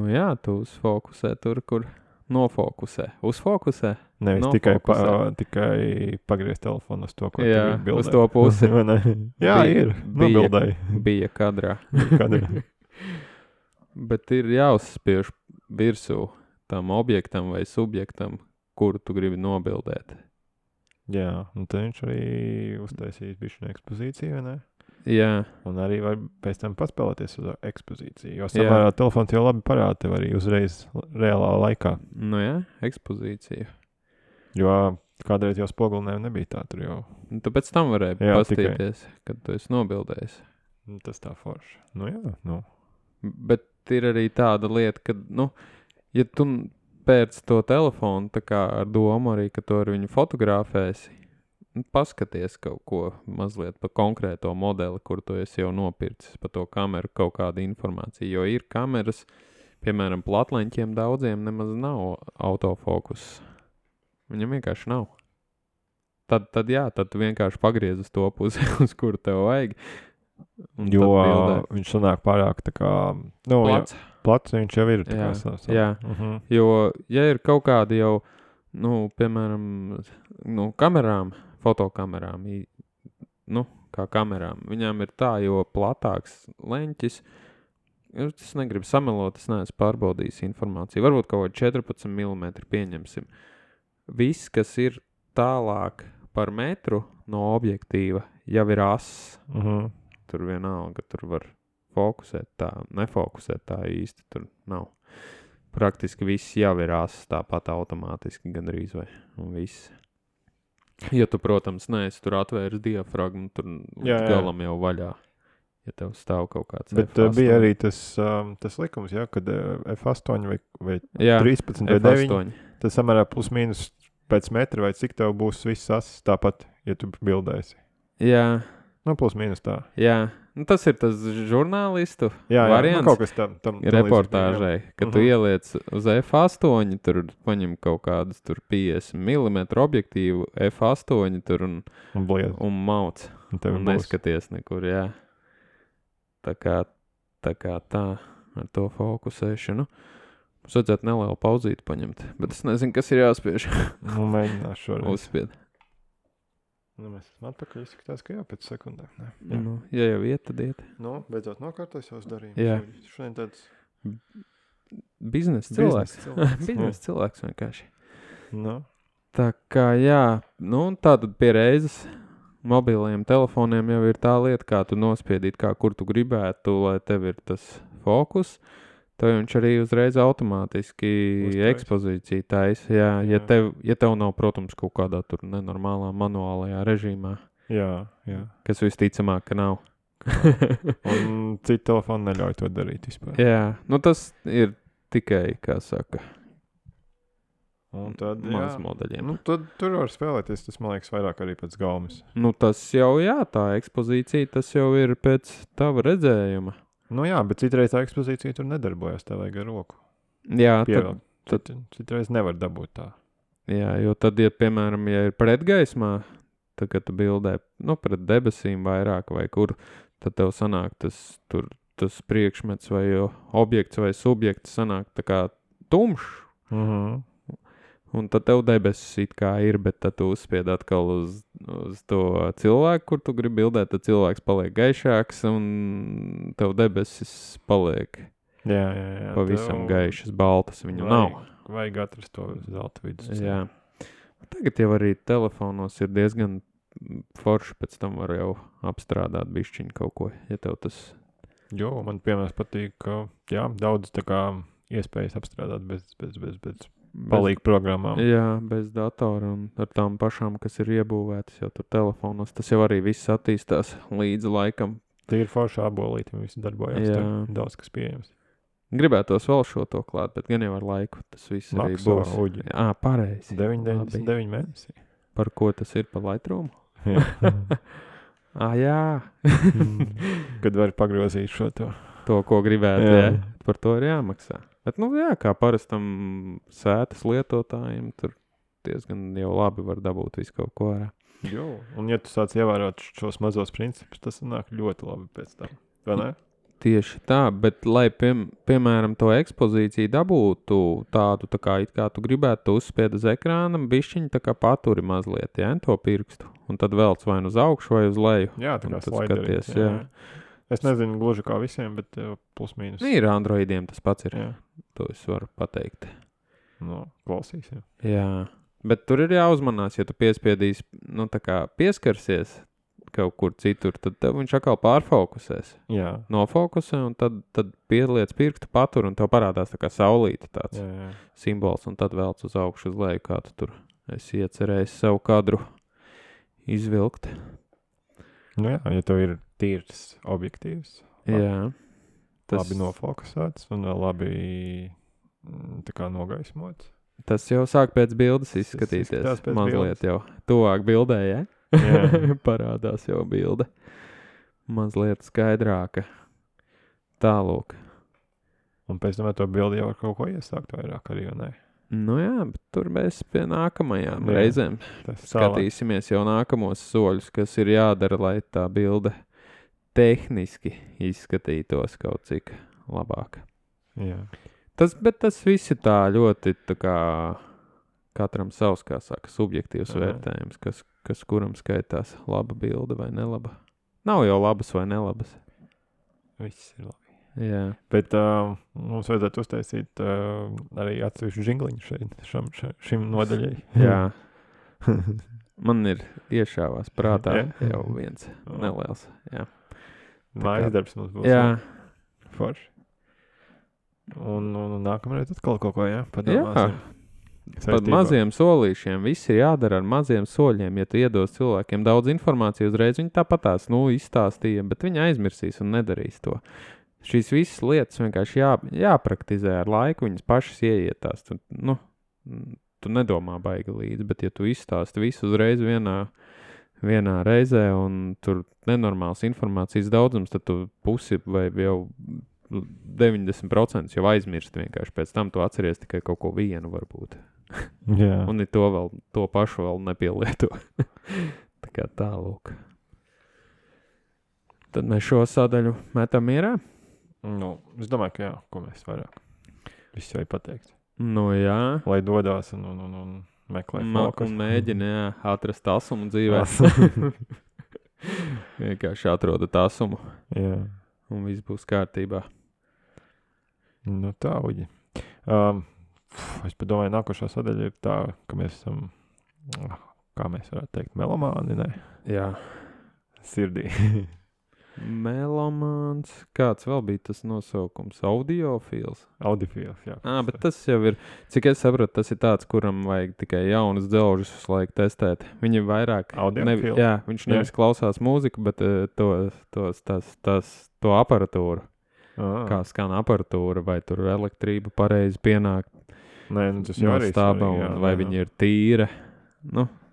Jā, tu uzfokusē tur, kur nofokusē. Uzfokusē? Nevis tikai pagriezt telefonu uz to, ko tu gribi bildēt. Uz to pusi. Jā, ir. Bija kadrā. Bet ir jāuzspiež virsū tam objektam vai subjektam, kuru tu gribi nobildēt. Jā, un tad viņš arī uztaisīs bišķiņu ekspozīciju, vai ne? Jā, Un arī var pēc tam paspēlēties uz ekspozīciju, jo samērā telefons jau labi parāda tev arī uzreiz reālā laikā. nu jā, ekspozīcija. Jo kādreiz jau spogulinēm nebija tā, tur jau Un tu pēc tam varēji Jā, pastīties, kad tu esi nobildējis. tas tā forši. Nu jā, nu. Bet ir arī tāda lieta, ka, nu, ja tu pēc to telefonu, tā kā ar domu arī, ka tu ar viņu fotografēsi, paskaties kaut ko mazliet par konkrēto modeli, kur tu esi jau nopircis, par to kameru kaut kādu informāciju, jo ir kameras, piemēram, platleņķiem daudziem nemaz nav autofokus. Viņam vienkārši nav. Tad tu vienkārši pagriez uz to pusi, uz kuru tev vajag. Un Jo tad bildē. viņš sanāk pārāk tā kā, nu, plats viņš jau ir tā kā savs. Jā. Jo, ja ir kaut kādi jau, nu, piemēram, nu, kamerām, fotokamerām, nu, kā kamerām, viņām ir tā, jo platāks leņķis, es negribu samelot, es neesmu pārbaudījis informāciju, varbūt kaut 14 mm pieņemsim. Viss, kas ir tālāk par metru no objektīva, jau ir ass. Tur vienalga, tur var fokusēt tā, nefokusēt tā īsti, tur nav. Praktiski viss jau ir ass, tāpat automātiski gandrīz vai, un viss. Ja tu, protams, neesi tur atvērs diafragmu, tur galam jau vaļā, ja tev stāv kaut kāds Bet F8. bija arī tas likums, jā, kad F8 vai Jā, 13 vai 9, F8. tad samērā plus mīnus pēc metra vai cik tev būs viss ass tāpat, ja tu bildēsi. Jā, Nu, plus mīnus tā. jā. Nu, tas ir tas žurnālistu Jā, variants. nu, kaut kas tam Reportāžai, kad tu ieliec uz F8, tur paņem kaut kādus tur 50 mm objektīvu F8 tur un bliez. un mauc. Un tev Un būs. neskaties nekur, jā. Tā kā tā ar to fokusēšanu. Mums vajadzētu nelielu pauzīti paņemt, bet es nezinu, kas ir jāspiež. Nu, mēģināšu šoreiz. Uzspied. Nu, mēs esam atpakaļ, izskatās, ka jā, pēc sekundēm. Ne? Nu, ja jau iet, tad iet. Nu, beidzot nokārtojas savus darījumus. Jā. Šodien tāds Biznesa cilvēks. cilvēks. Biznesa cilvēks vienkārši. Nu, Tā kā jā, nu tātad pie reizes mobiliem telefoniem jau ir tā lieta, kā tu nospiedīt, kā kur tu gribētu, lai tev ir tas fokus. Tev viņš arī uzreiz automātiski Uztais. ekspozīciju taisa. Jā, Jā. ja tev nav, protams, kaut kādā tur nenormālā manuālajā režīmā, jā. kas visticamāk, ka nav. Un citi telefoni neļauj to darīt vispār. Jā, nu tas ir tikai, kā saka, Un tad, maz jā. modeļiem. Nu, tad tur var spēlēties, tas man liekas vairāk arī pēc gaumes. Nu tas jau, jā, tā ekspozīcija, tas jau ir pēc tava redzējuma. Nu jā, bet citreiz tā ekspozīcija tur nedarbojas, tā vajag ar roku Jā, pievilkt. Citreiz nevar dabūt tā. jā, jo tad, ja, piemēram, ja ir pretgaismā, tad, kad tu bildē, nu, pret debesīm vairāk vai kur, tad tev sanāk tas priekšmets vai objekts vai subjekts sanāk tā kā tumšs. Un tad tev debesis it kā ir, bet tad tu uzspied atkal uz to cilvēku, kur tu gribi bildēt, tad cilvēks paliek gaišāks un tev debesis paliek Jā. pavisam gaišas, baltas viņu nav. Vajag atrast to zelta vidus. Jā. Tagad jau arī telefonos ir diezgan forši, pēc tam var jau apstrādāt bišķiņu kaut ko, ja tev tas... Jo, man piemēram patīk, ka jā, daudz tā kā iespējas apstrādāt bez palīgu programmām. Jā, bez datora un ar tām pašām, kas ir iebūvētas jau tur telefonos. Tas jau arī viss attīstās līdzi laikam. Tie ir forši abolīti, un visi darbojās. Jā. Daudz kas pieejams. Gribētos vēl šo to klāt, bet gan jau ar laiku tas viss arī Maksā būs. uģi. Jā, pareizi. 9,99 mēnesi. Par ko tas ir? Par Lightroom? Jā. Jā. Kad var pagrozīt šo to. To, ko gribētu, Jā. jā. Par to ir jāmaksā. Bet, nu jā, kā parastam sētas lietotājiem, tur diezgan jau labi var dabūt visu kaut ko ārā. Jo, un ja tu sāc ievērot šos mazos principus, tas nāk ļoti labi pēc tam. Vai ne? Tieši tā, bet lai, piemēram, to ekspozīciju dabūtu tādu, tā kā it kā tu gribētu, tu uzspied uz ekrāna, bišķiņi tā kā paturi mazliet, jā, to pirkstu. Un tad velc vai nu uz augšu vai uz leju. Jā, tā Un kā tad slaiderī. skaties, jā. Es nezinu gluži kā visiem, bet plus mīnus. Ir Androidiem tas pats ir. Jā. To es varu pateikt. No, klausīs, jā. Jā. Bet tur ir jāuzmanās, ja tu piespiedīsi, tā kā pieskarsies kaut kur citur, tad tev viņš atkal pārfokusēs. Jā. Nofokusē, un tad pieliec pirkstu patur, un tev parādās tā kā saulīte tāds simbols, un tad velc uz augšu uz leju, kā tu tur esi iecerējis savu kadru izvilkt. Nu jā, ja tev ir tīrs objektīvs. Jā. Labi nofokusēts un vēl labi tā kā nogaismots. Tas jau sāk pēc bildes izskatīties. Mazliet jau tuvāk bildē, ja? Parādās jau bilde. Mazliet skaidrāka. Tālūk. Un pēc tam to bildi jau ar kaut ko iesākt vairāk arī, vai ne? Nu jā, bet tur mēs pie nākamajām reizēm skatīsimies jau nākamos soļus, kas ir jādara, lai tā bilde tehniski izskatītos kaut cik labāk. Jā. Bet tas viss ir tā ļoti tā kā katram savs, kā saka, subjektīvs vērtējums, kas kuram skaitās laba bilde vai nelaba. Nav jau labas vai nelabas. Viss ir labi. Jā. Bet mums vajadzētu uztaisīt arī atsevišķu žingliņu šim nodaļai. Jā. Man ir iešāvās prātā jau viens neliels. Jā. Mājas darbs mums būs. Jā. Forši. Un nākamreiz atkal kaut ko, padomāsim. Par maziem solīšiem. Viss ir jādara ar maziem soļiem. Ja tu iedos cilvēkiem daudz informāciju uzreiz, viņi tāpatās, izstāstīja, bet viņi aizmirsīs un nedarīs to. Šīs visas lietas vienkārši jāpraktizē ar laiku, viņas pašas ieietās. Tu nedomā baigi līdzi, bet ja tu izstāsti visu uzreiz vienā reizē un tur nenormāls informācijas daudzums, tad tu pusi vai jau 90% jau aizmirst vienkārši. Pēc tam tu atceries tikai kaut ko vienu varbūt. Jā. Un to pašu vēl nepielieto. Tā kā tālūk. Tad mēs šo sadaļu metam mierā? Es domāju, ka jā, ko mēs vairāk. Viss jau ir pateikts. Jā. Lai dodās un meklē fokus. Un mēģina, atrast asumu dzīvē. Vienkārši atrodat asumu. Jā. Un viss būs kārtībā. Tā, Uģi. Es padomāju, nākošā sadaļa ir tā, ka mēs esam, kā mēs varētu teikt, melomāni, ne? Jā. Sirdī. Melomāns. Kāds vēl bija tas nosaukums? Audiofils? Audiofils, jā. Bet tas jau ir, cik es saprotu, tas ir tāds, kuram vajag tikai jaunas dzelžus visu laiku testēt. Viņi vairāk... Audiofils? Viņš nevis klausās mūziku, bet to aparatūru. Kā skan aparatūra, vai tur elektrība pareizi pienāk tas jau arī stāba, vai viņi ir tīra.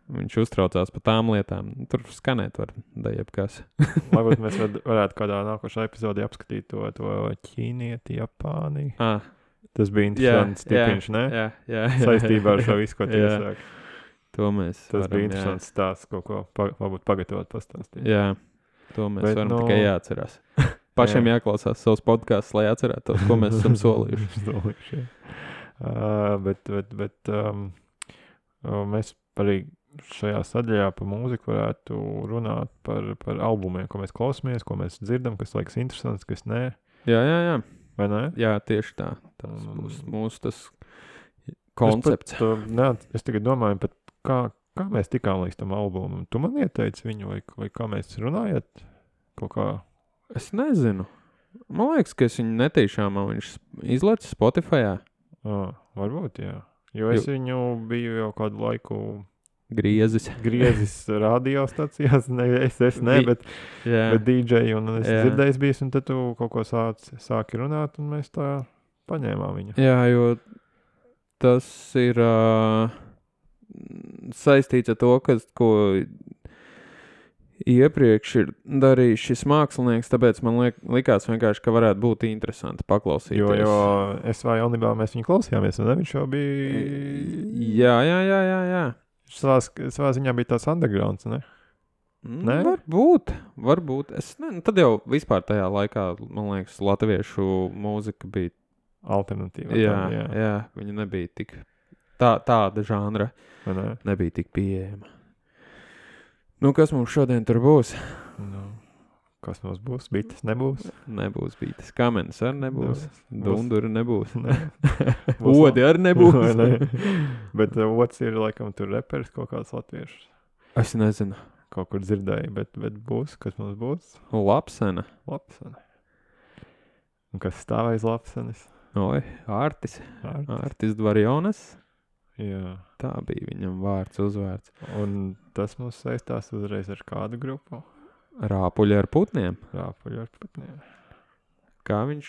Viņš uztraucās par tām lietām. Tur skanēt var jebkas. Varbūt mēs varētu kādā nākošā epizodē apskatīt to ķīnieti, Japāni. Tas bija interesants tipiņš, ne? Jā. Saistībā ar šo visu, ko tiesāk. To mēs Tas bija interesants stāsts, kaut ko varbūt pagatavot pastāstīt. Jā, to mēs varam tikai jāatcerās. Pašiem jāklausās savus podcasts, lai atcerētos, ko mēs esam solījuši. Bet mēs arī šajā sadaļā par mūziku varētu runāt par albumiem, ko mēs klausamies, ko mēs dzirdam, kas liekas interesants, kas nē. Jā. Vai ne? Jā, tieši tā. Tas būs mūsu tas koncepts. Es tagad domāju, kā mēs tikām līdz tam albumam. Tu man ieteici viņu, vai kā mēs runājat? Kaut kā... Es nezinu. Man liekas, ka es viņu netīšām, viņš izlaicis Spotifyā. Varbūt, jā. Jo es viņu biju jau kādu laiku griezis radiostacijās, bet DJ, un es dzirdējis bijis, un tad tu kaut ko sāki runāt, un mēs tā paņēmām viņu. Jā, jo tas ir saistīts ar to, ko iepriekš ir darījis šis mākslinieks, tāpēc man likās vienkārši, ka varētu būt interesanti paklausīties. Jo SV jaunībā mēs viņu klausījāmies, un viņš jau bija... Jā. Savā ziņā bija tās undergrounds, ne? Ne? Varbūt. Tad jau vispār tajā laikā, man liekas, latviešu mūzika bija... Alternatīva. Jā. Viņa nebija tik... Tāda žanra nebija tik pieejama. Kas mums šodien tur būs? Kas mums būs? Bites nebūs. Nebūs bītas. Kamenes arī nebūs. Dunduri nebūs. Būs Odi arī nebūs. Vai ne? Bet otrs ir, laikam, tur reperis kaut kāds latviešus. Es nezinu. Kaut kur dzirdēju, bet būs. Kas mums būs? Lapsena. Lapsene. Un kas stāv aiz lapsenes? Oi, Ārtis. Ārtis Dvarjonas. Jā. Tā bija viņam vārds, uzvārds. Un tas mums saistās uzreiz ar kādu grupu? Rāpuļi ar putniem. Rāpuļi ar putniem. Kā viņš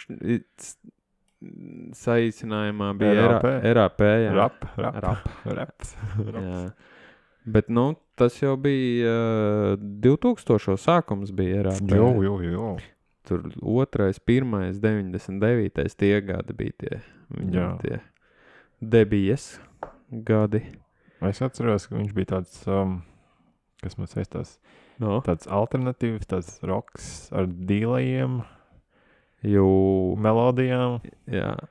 saīsinājumā bija RAP, jā. Raps. Jā. Bet, nu, tas jau bija 2000 sākums bija RAP. Jo. Tur 2., 1., 99. tie gadi bija tie. Viņam tie debijas gadi. Es atceros, ka viņš bija tāds, kas man saistās, No. tāds alternatīvs, tāds roks ar dīlējiem, melodijām. Jā.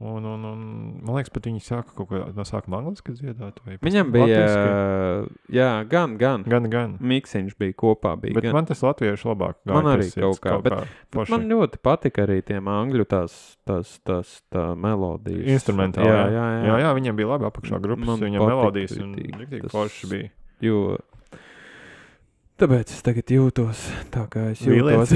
Un man liekas, pat viņi sāka kaut ko no sākuma angliski dziedāt. Viņam bija, jā, gan. Gan. Miksiņš bija kopā. Bija, bet gan. man tas latviešu labāk gāja. Man arī kaut kā. Bet man ļoti patika arī tiem angļu tā melodijas. Instrumentāli. Jā, viņiem bija labi apakšā grupas, viņiem melodijas un riktīgi forši bija. Jo tāpēc es tagad jūtos tā, kā es jūtos.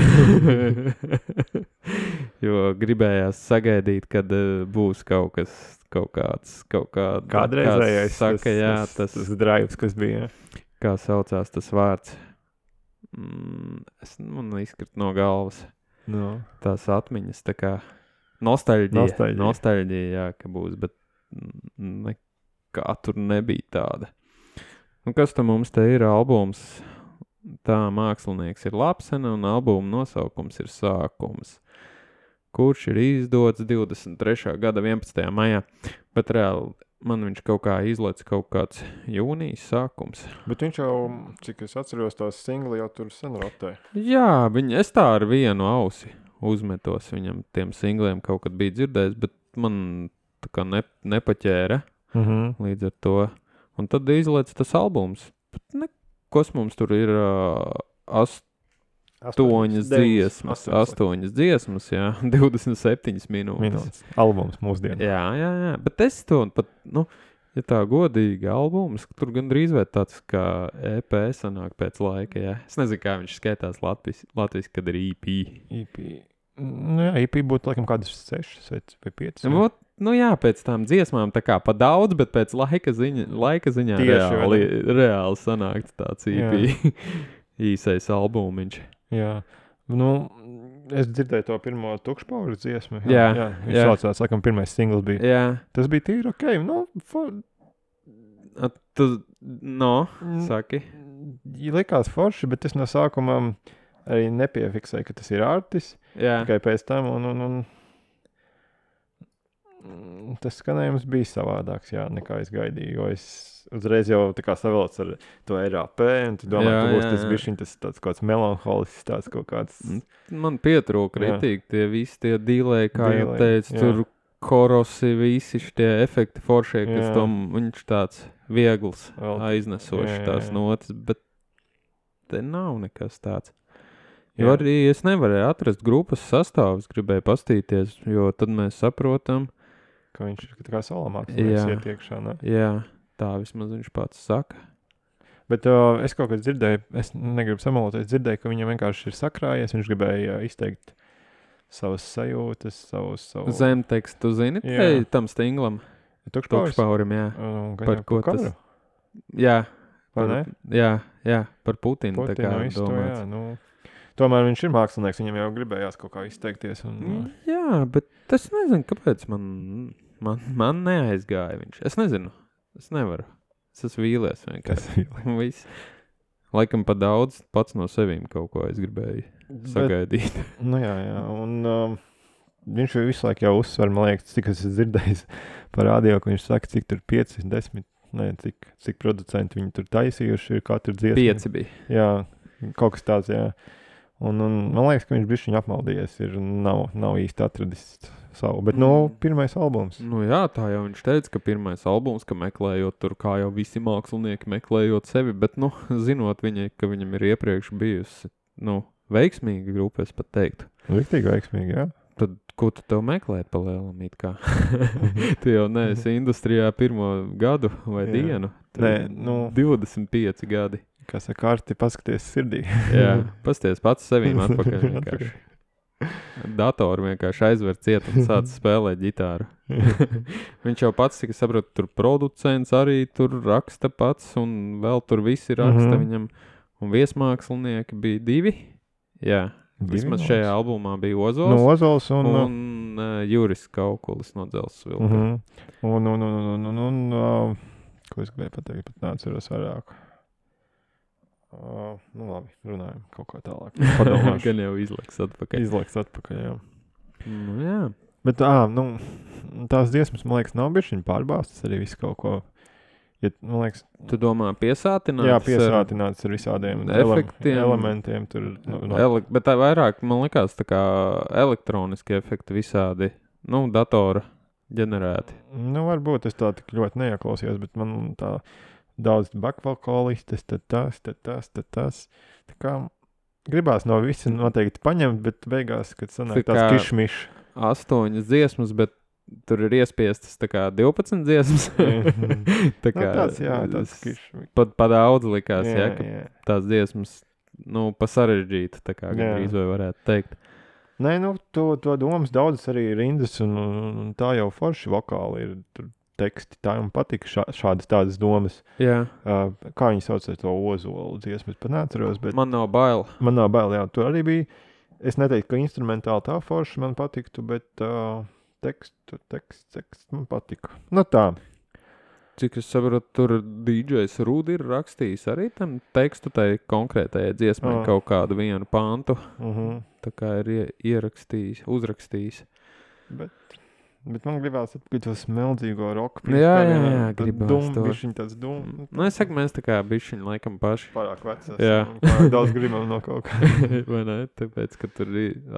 Jo gribējās sagaidīt, kad būs kaut kāda kādreizējais saka, tas drives, kas bija. Kā saucās tas vārds? Man izkrit no galvas. No. Tās atmiņas, tā kā nostalģija, jā, ka būs, bet nekā tur nebija tāda. Un kas tam mums te ir albums? Tā mākslinieks ir Lapsena un albuma nosaukums ir Sākums, kurš ir izdots 23. gada 11. maijā, bet reāli man viņš kaut kā izlaic kaut kāds jūnijas sākums. Bet viņš jau, cik es atceros, tās singli jau tur sen rotē. Jā, es tā ar vienu ausi uzmetos viņam tiem singliem kaut kad bija dzirdējis, bet man tā kā nepaķēra līdz ar to. Un tad izlaic tas albums. Kas mums tur ir 8 dziesmas, jā, 27 minūtes. Albums mūsdienu. Jā, bet es to pat, ja tā godīgi albums, tur gan drīz vai tāds kā EP sanāk pēc laika, jā. Es nezinu, kā viņš skaitās Latvijas, kad ir EP. Jā, EP būtu laikam kādas 6 vai 5. Jā, pēc tām dziesmām tā kā pa daudz, bet pēc laika ziņā reāli sanākt tāds EP īsais albumiņš. Jā, es dzirdēju to pirmo Tukšpauru dziesmu. Jā. Viņš saucās, laikam, pirmais singls bija. Jā. Tas bija tīri okei, saki. Likās forši, bet es no sākumā arī nepiefiksēju, ka tas ir Ārtis. Jā. Tikai pēc tam un tas skanējums bija savādāks, jā, nekā es gaidīju, jo es uzreiz jau tā kā savilcu ar to RAP, un tu domā, ka būs tas bišķiņ, tas tāds kāds melanholisks, tāds kaut kāds... Man pietrūka ritīgi tie visi tie dīlēji, kā jau teicu, tur korosi, visi šitie efekti foršie, kas tom viņš tāds viegls, aiznesošs tās notas, bet te nav nekas tāds. Jo arī es nevarēju atrast grupas sastāvus, gribēju pastīties, jo tad mēs saprotam, ka viņš ir tā kā solo mākslinieks iet iekšā, ne? Jā, tā vismaz viņš pats saka. Bet es kaut kad dzirdēju, es negribu samaloties, dzirdēju, ka viņam vienkārši ir sakrājies, viņš gribēja izteikt savas sajūtas, savu... Zemtekstu, zini, tam stinglam? Tukšpaurim, jā. Par ko tas? Jā. Jā, par Putinu tā kā domāts. Tomēr viņš ir mākslinieks, viņam jau gribējās kaut kā izteikties. Jā, bet es nezinu, kāpēc man neaizgāja viņš. Es nezinu, es nevaru. Es esmu vīlies vienkārši. Laikam pa daudz pats no sevīm kaut ko es gribēju sagaidīt. Jā, un viņš visu laiku jau uzsver, man liekas, cik es dzirdējis par radio, ka viņš saka, cik tur 5, 10, cik producenti viņi tur taisījuši ir katru dziesmu. 5 bija. Jā, kaut kas tāds, jā. Un man liekas, ka viņš bišķiņ apmaldījies ir nav īsti atradis savu, bet pirmais albums. Jā, tā jau viņš teica, ka pirmais albums, ka meklējot tur, kā jau visi mākslinieki meklējot sevi, bet, zinot viņai, ka viņam ir iepriekš bijusi, veiksmīga grupa, es pat teiktu. Riktīgi veiksmīgi, jā. Tad, ko tu tev meklēt pa lielam it kā? Tu jau neesi industrijā pirmo gadu vai dienu. Nē, 25 gadi. Kā saka, kārti paskaties sirdī. Jā, pasties pats sevīm atpakaļ vienkārši. Datoru vienkārši aizver ciet un sāc spēlēt ģitāru. Viņš jau pats, cik es saprotu, tur producents arī tur raksta pats un vēl tur visi raksta viņam. Un viesmākslinieki bija 2. Jā, vismaz šajā albumā bija Ozols. No Ozols un Juris Kaukulis no Dzelzs Vilka. Un ko es gribēju pateikt, pat neatceros vairāk. Nu labi, runājam kaut kā tālāk. Padomāšu. Gan jau izlaiks atpakaļ, jā. Nu, jā. Bet, tās dziesmas, man liekas, nav bišķiņ pārbāstas arī visu kaut ko. Ja, man liekas, tu domā piesātināts? Jā, piesātināts ar visādiem elementiem. Tur, bet tā vairāk, man liekas, tā kā elektroniski efekti visādi, datora ģenerēti. Nu, varbūt es tā tik ļoti neieklausījos, bet man tā daudz backvokalistes, tad tas. Tā kā gribās no visi noteikti paņemt, bet beigās, kad sanāk tās kišmiš. 8 dziesmas, bet tur ir iespiestas tā kā 12 dziesmas. Tā kā tāds kišmiš. Pat daudz likās, ka tās dziesmas, pa sarežģītu, tā kā gandrīz vai varētu teikt. Nē, to domas daudzas arī rindas, un tā jau forši vokāli ir tur teksti. Tā man patika šādas tādas domas. Jā. Kā viņi sauc to Ozolu dziesmu, es pat neatceros, bet... Man nav bail, jā. Tur arī bija, es neteiktu, ka instrumentāli tā forši man patiktu, bet teksts man patika. Nu tā. Cik es saprotu, tur DJs Rūdi ir rakstījis arī tam tekstu tai konkrētajai dziesmai kaut kādu vienu pantu. Tā kā ir ierakstījis, uzrakstījis. Bet man gribās atpakaļ to smeldzīgo roku. Jā, gribās to. Bišķiņ tāds dum. Es saku, mēs tā kā bišķiņ laikam paši. Pārāk vecās. Jā. Pārāk daudz gribam no kaut kā. Vai ne? Tāpēc, ka tur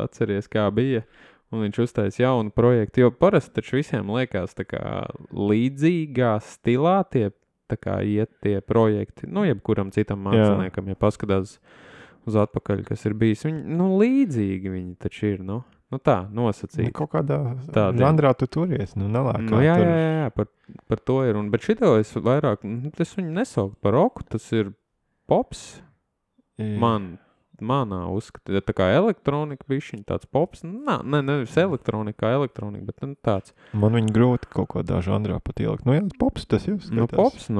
atceries, kā bija. Un viņš uztais jaunu projektu. Jo parasti taču visiem liekas tā kā līdzīgā stilā tie tā kā iet tie projekti. Jebkuram citam māksliniekam, ja paskatās uz atpakaļ, kas ir bijis. Viņi, līdzīgi viņi taču ir, tā, nosacīti. Kaut kādā žanrā tu turies, nelēkā. Jā, par to ir. Bet šito es vairāk, es viņu nesaukt par roku, tas ir pops. Manā uzskata, tā kā elektronika bišķiņ, tāds pops. Nevis elektronika, bet tāds. Man viņa grūti kaut kādā žanrā pat ielikt. Jā, pops tas jau skatās. Pops,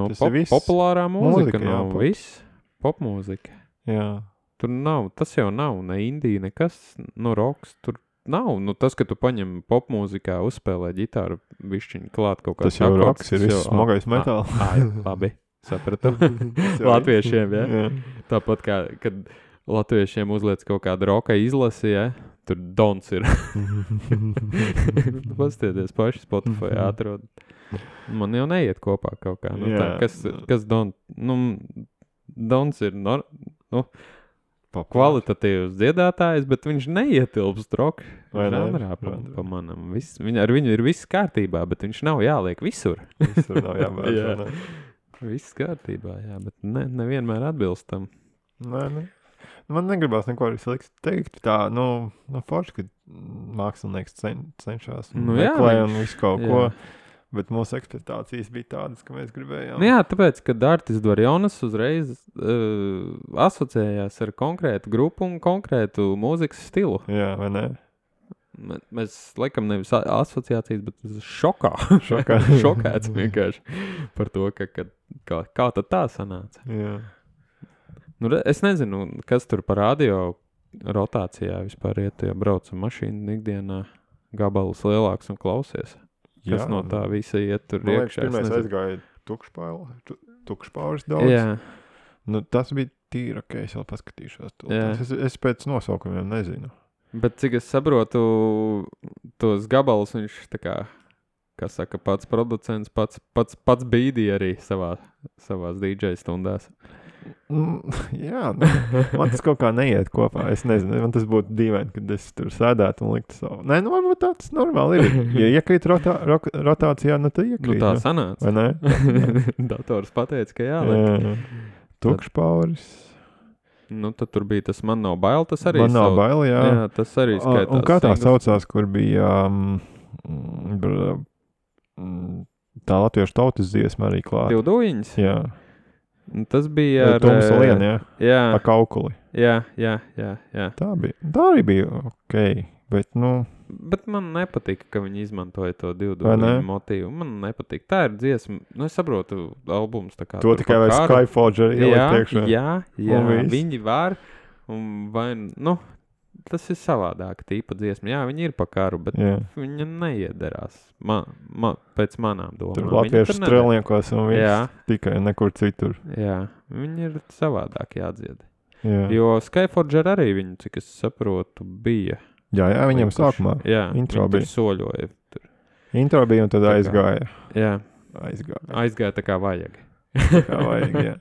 populārā mūzika, viss. Popmūzika. Jā. Tur nav, tas jau nav, ne indija, nekas, roks, tur nav. Tas, ka tu paņem popmūzikā, uzspēlē ģitāru, bišķiņ klāt kaut kāds. Tas jau roks ir viss smagais metāls. Labi, sapratu. Latviešiem, ja? Tāpat kā, kad latviešiem uzliec kaut kādu roka izlasi, ja? Tur Dons ir. Pastieties paši Spotify atrod. Man jau neiet kopā kaut kā. Tā, kas Don? Dons ir, kvalitatīvs dziedātājs, bet viņš neietilpst roka žanrā pa manam. Ar viņu ir viss kārtībā, bet viņš nav jāliek visur. Visur nav jābērš. Viss kārtībā, jā, bet nevienmēr atbilstam. Nē. Man negribās neko arī slikt teikt. Tā, forši, ka mākslinieks cenšas meklē un visu kaut ko. Bet mūsu ekspektācijas bija tādas, ka mēs gribējām. Jā, tāpēc, ka Dārtis Dvarjonas uzreiz asociējās ar konkrētu grupu un konkrētu mūzikas stilu. Jā, vai ne? Mēs laikam nevis asociācijas, bet šokēts vienkārši par to, kā tad tā sanāca. Jā. Es nezinu, kas tur par radio rotācijā vispār iet, ja braucam mašīnu ikdienā, gabalus lielāks un klausies. Kas no tā visa iet tur iekšā? Pirmais aizgāja tukšpauris daudz. Jā. Tas bija tīri, ok, es vēl paskatīšos. Es pēc nosaukumiem nezinu. Bet cik es saprotu, tos gabalus viņš tā kā saka, pats producents, pats bīdīja arī savās DJ stundās. Jā, man tas kaut kā neiet kopā. Es nezinu, man tas būtu dīvaini, kad es tur sēdētu un liktu savu. Nē, varbūt tāds normāli ir. Ja iekrīt rotācijā, tad iekrīt. Tā sanāca. Vai ne? Dators pateica, ka jāliek. Tukšpauris. Nu, tad tur bija tas Man nav bail, tas arī Man nav bail, jā. Jā, tas arī skaitās. Un kā tā singls. saucās, kur bija tā latviešu tautas dziesma arī klāta? Divdūjiņas? Jā. Un tas bija ar... Tums Lien, jā. Jā, Ar kaukuli. jā. Tā arī bija ok, bet, nu... Bet man nepatika, ka viņi izmantoja to Vai ne? divdūjiņu motīvu. Man nepatika. Tā ir dziesma, nu es saprotu, albums tā kā... To tur tikai par vai karu. Skyforger ielikt priekšā. Jā, Un viss. viņi var, un vai, nu, tas ir savādāka tīpa dziesma. Jā, viņi ir pa karu, bet Jā. viņa neiederās. Pēc manām domām. Tur Viņa latviešu neder. strelniekos un viss. Jā. Tikai nekur citur. Jā, viņi ir savādāk jādzied. Jā, Jo Skyforger arī viņu, cik es saprotu, bija. jā viņam sākumā. Jā, intro viņi tur bija. soļoja. Tur. Intro bija un tad Tā kā- aizgāja. Jā, Aizgāja. aizgāja tā kā vajag. Kā vajag, jā.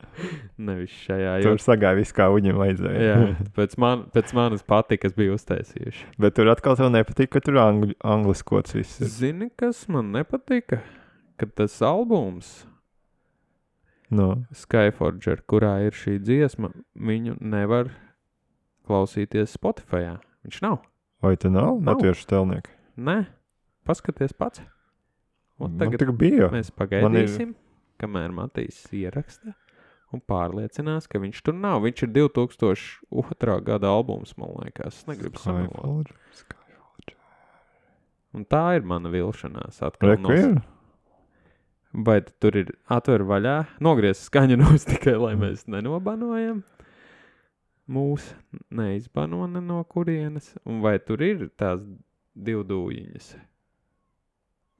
Nevis šajā. Tur sagāja viss, kā viņam vajadzēja. Jā, pēc manas patikas bija uztaisījuši. Bet tur atkal tev nepatīk, ka tur angliskots viss ir. Zini, kas man nepatika? Kad tas albums No. Skyforger, kurā ir šī dziesma, viņu nevar klausīties Spotifyā. Viņš nav. Vai te nav Nav. latviešu stelnieki? Nē, paskaties pats. Un Man tagad tik bija. mēs pagaidīsim, kamēr Matīs ieraksta un pārliecinās, ka viņš tur nav. Viņš ir 2002. gada albums, man liekas. Es negribu samalot. Skyforger. Un tā ir mana vilšanās. Atkal Reku ir? Vai tur ir atver vaļā, nogriez skaņu nos tikai, lai mēs nenobanojam? Mūs neizbano ne no kurienes. Un vai tur ir tās divdūjiņas?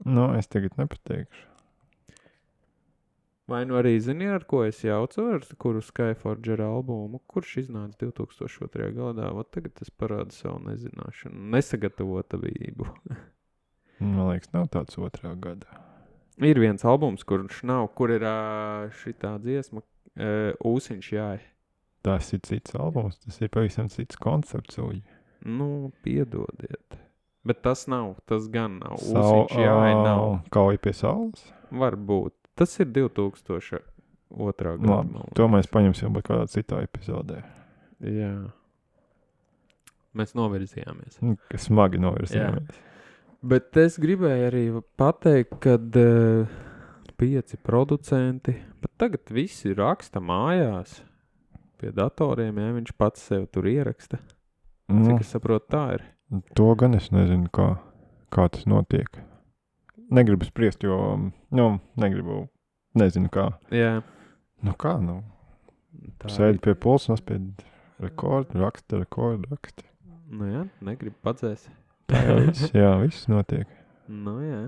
No, es tagad nepateikšu. Vai nu arī zini, ar ko es jaucu, ar kuru Skyforger albumu, kurš iznāca 2002. gadā? Vat tagad es parādu savu nezināšanu, nesagatavotabību. Man liekas, nav tāds 2. gadā. Ir viens albums, kurš nav, kur ir šitā dziesma, Ūsiņš jāj. Tas ir cits albums, tas ir pavisam cits koncepts. Uļi. Nu, piedodiet. Bet tas nav, tas gan nav. Ūsiņš jāj nav. Kauja pie saules? Varbūt. Tas ir 2002. gada. Labi, to mēs paņemsim būt kādā citā epizodē. Jā. Mēs novirzījāmies. Kas smagi novirzījāmies. Bet es gribēju arī pateikt, kad 5 producenti, bet tagad visi raksta mājās pie datoriem, ja viņš pats sev tur ieraksta. Cik es saprotu, tā ir. To gan es nezinu, kā tas notiek. Negribu spriest, jo, nezinu kā. Jā. Nu kā, Tā sēdi pie pulsa, nospied rekordu, raksta. Nu jā, negribu padzēst. Viss notiek. Nu jā.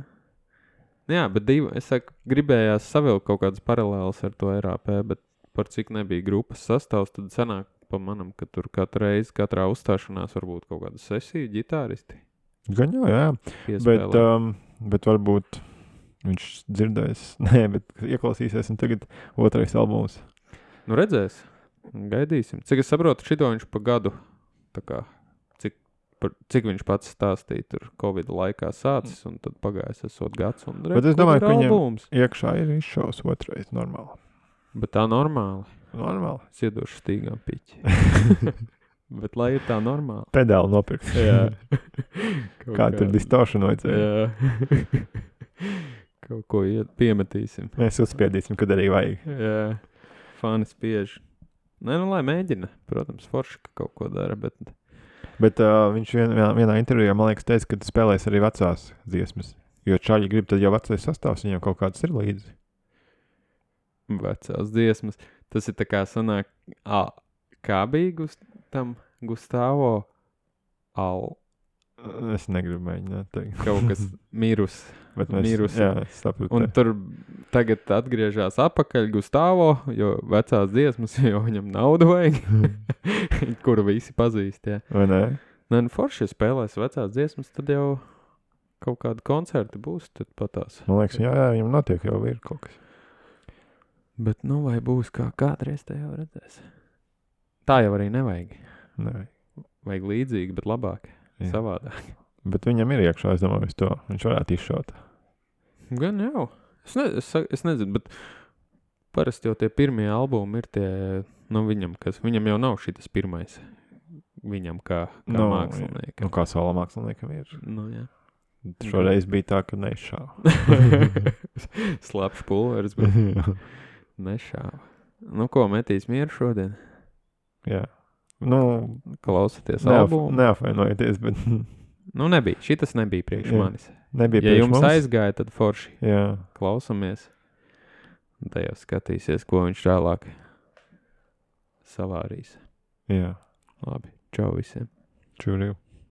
Jā, bet es saku, gribējās savilkt kaut kādas paralēlas ar to RAP, bet par cik nebija grupas sastāvs, tad sanāk pa manam, ka tur katrā uzstāšanās varbūt kaut kāda sesija, ģitāristi Gan jau, jā. piespēlē. Bet varbūt viņš dzirdēs, bet ieklausīsies un tagad 2. albums. Nu redzēs, gaidīsim. Cik es saprotu, šito viņš pa gadu, tā kā, cik viņš pats stāstīja tur Covid laikā sācis un tad pagājis esot gads un Bet es domāju, ka viņam albums. iekšā ir izšaus 2. normāli. Bet tā normāli. Normāli. Es iedošu stīgām piķi. Bet lai ir tā normāli. Pedāli nopirkt. Jā. Kā tur distortion vajadzēja. Jā. Kaut ko piemetīsim. Mēs uzspiedīsim, kad arī vajag. Jā. Fani spiež. Nē, nu lai mēģina. Protams, forši, ka kaut ko dara, bet... Bet viņš vienā intervijā, man liekas, teica, ka spēlēs arī vecās dziesmas. Jo čaļi grib, tad jau vecais sastāvs viņam kaut kāds ir līdzi. Vecās dziesmas. Tas ir tā kā sanāk... Kā bija tam Gustavo Al... Es negribu mēģināt teikt. Kaut kas mirus. Bet mēs, Mirus. jā, es sapratu. Un tur tagad atgriežās apakaļ Gustavo, jo vecās dziesmas, jo viņam naudu vajag, kuru visi pazīst, jā. Vai ne? Nē, nu forši, ja spēlēs vecās dziesmas, tad jau kaut kādi koncerti būs, tad patās. Man liekas, jā, viņam notiek jau ir kaut kas. Bet nu vai būs kā kādreiz, tā jau redzēs. Tā jau arī nevajag. Nē. Vajag līdzīgi, bet labāk, Jā. savādāk. Bet viņam ir iekšā, es domāju, to. Viņš varētu izšaut. Gan jau. Es nezinu, bet parasti jau tie pirmie albumi ir tie Nu, viņam jau nav šitas pirmais. Viņam kā māksliniekam. Nu, kā solo māksliniekam ir. Nu, jā. Šoreiz bija tā, ka nešāva. Slapš pulveris, bet nešāva. Nu, ko metīs mieru šodien? Jā. Nu, klausaties albumu. Neapvainojieties, bet... Nu, nebija. Šitas nebija priekš manis. Nebija ja priekš jums mums. aizgāja, tad forši. Jā. Klausamies. Un te jau skatīsies, ko viņš tālāk savārīs. Jā. Labi. Čau visiem. Čuriju.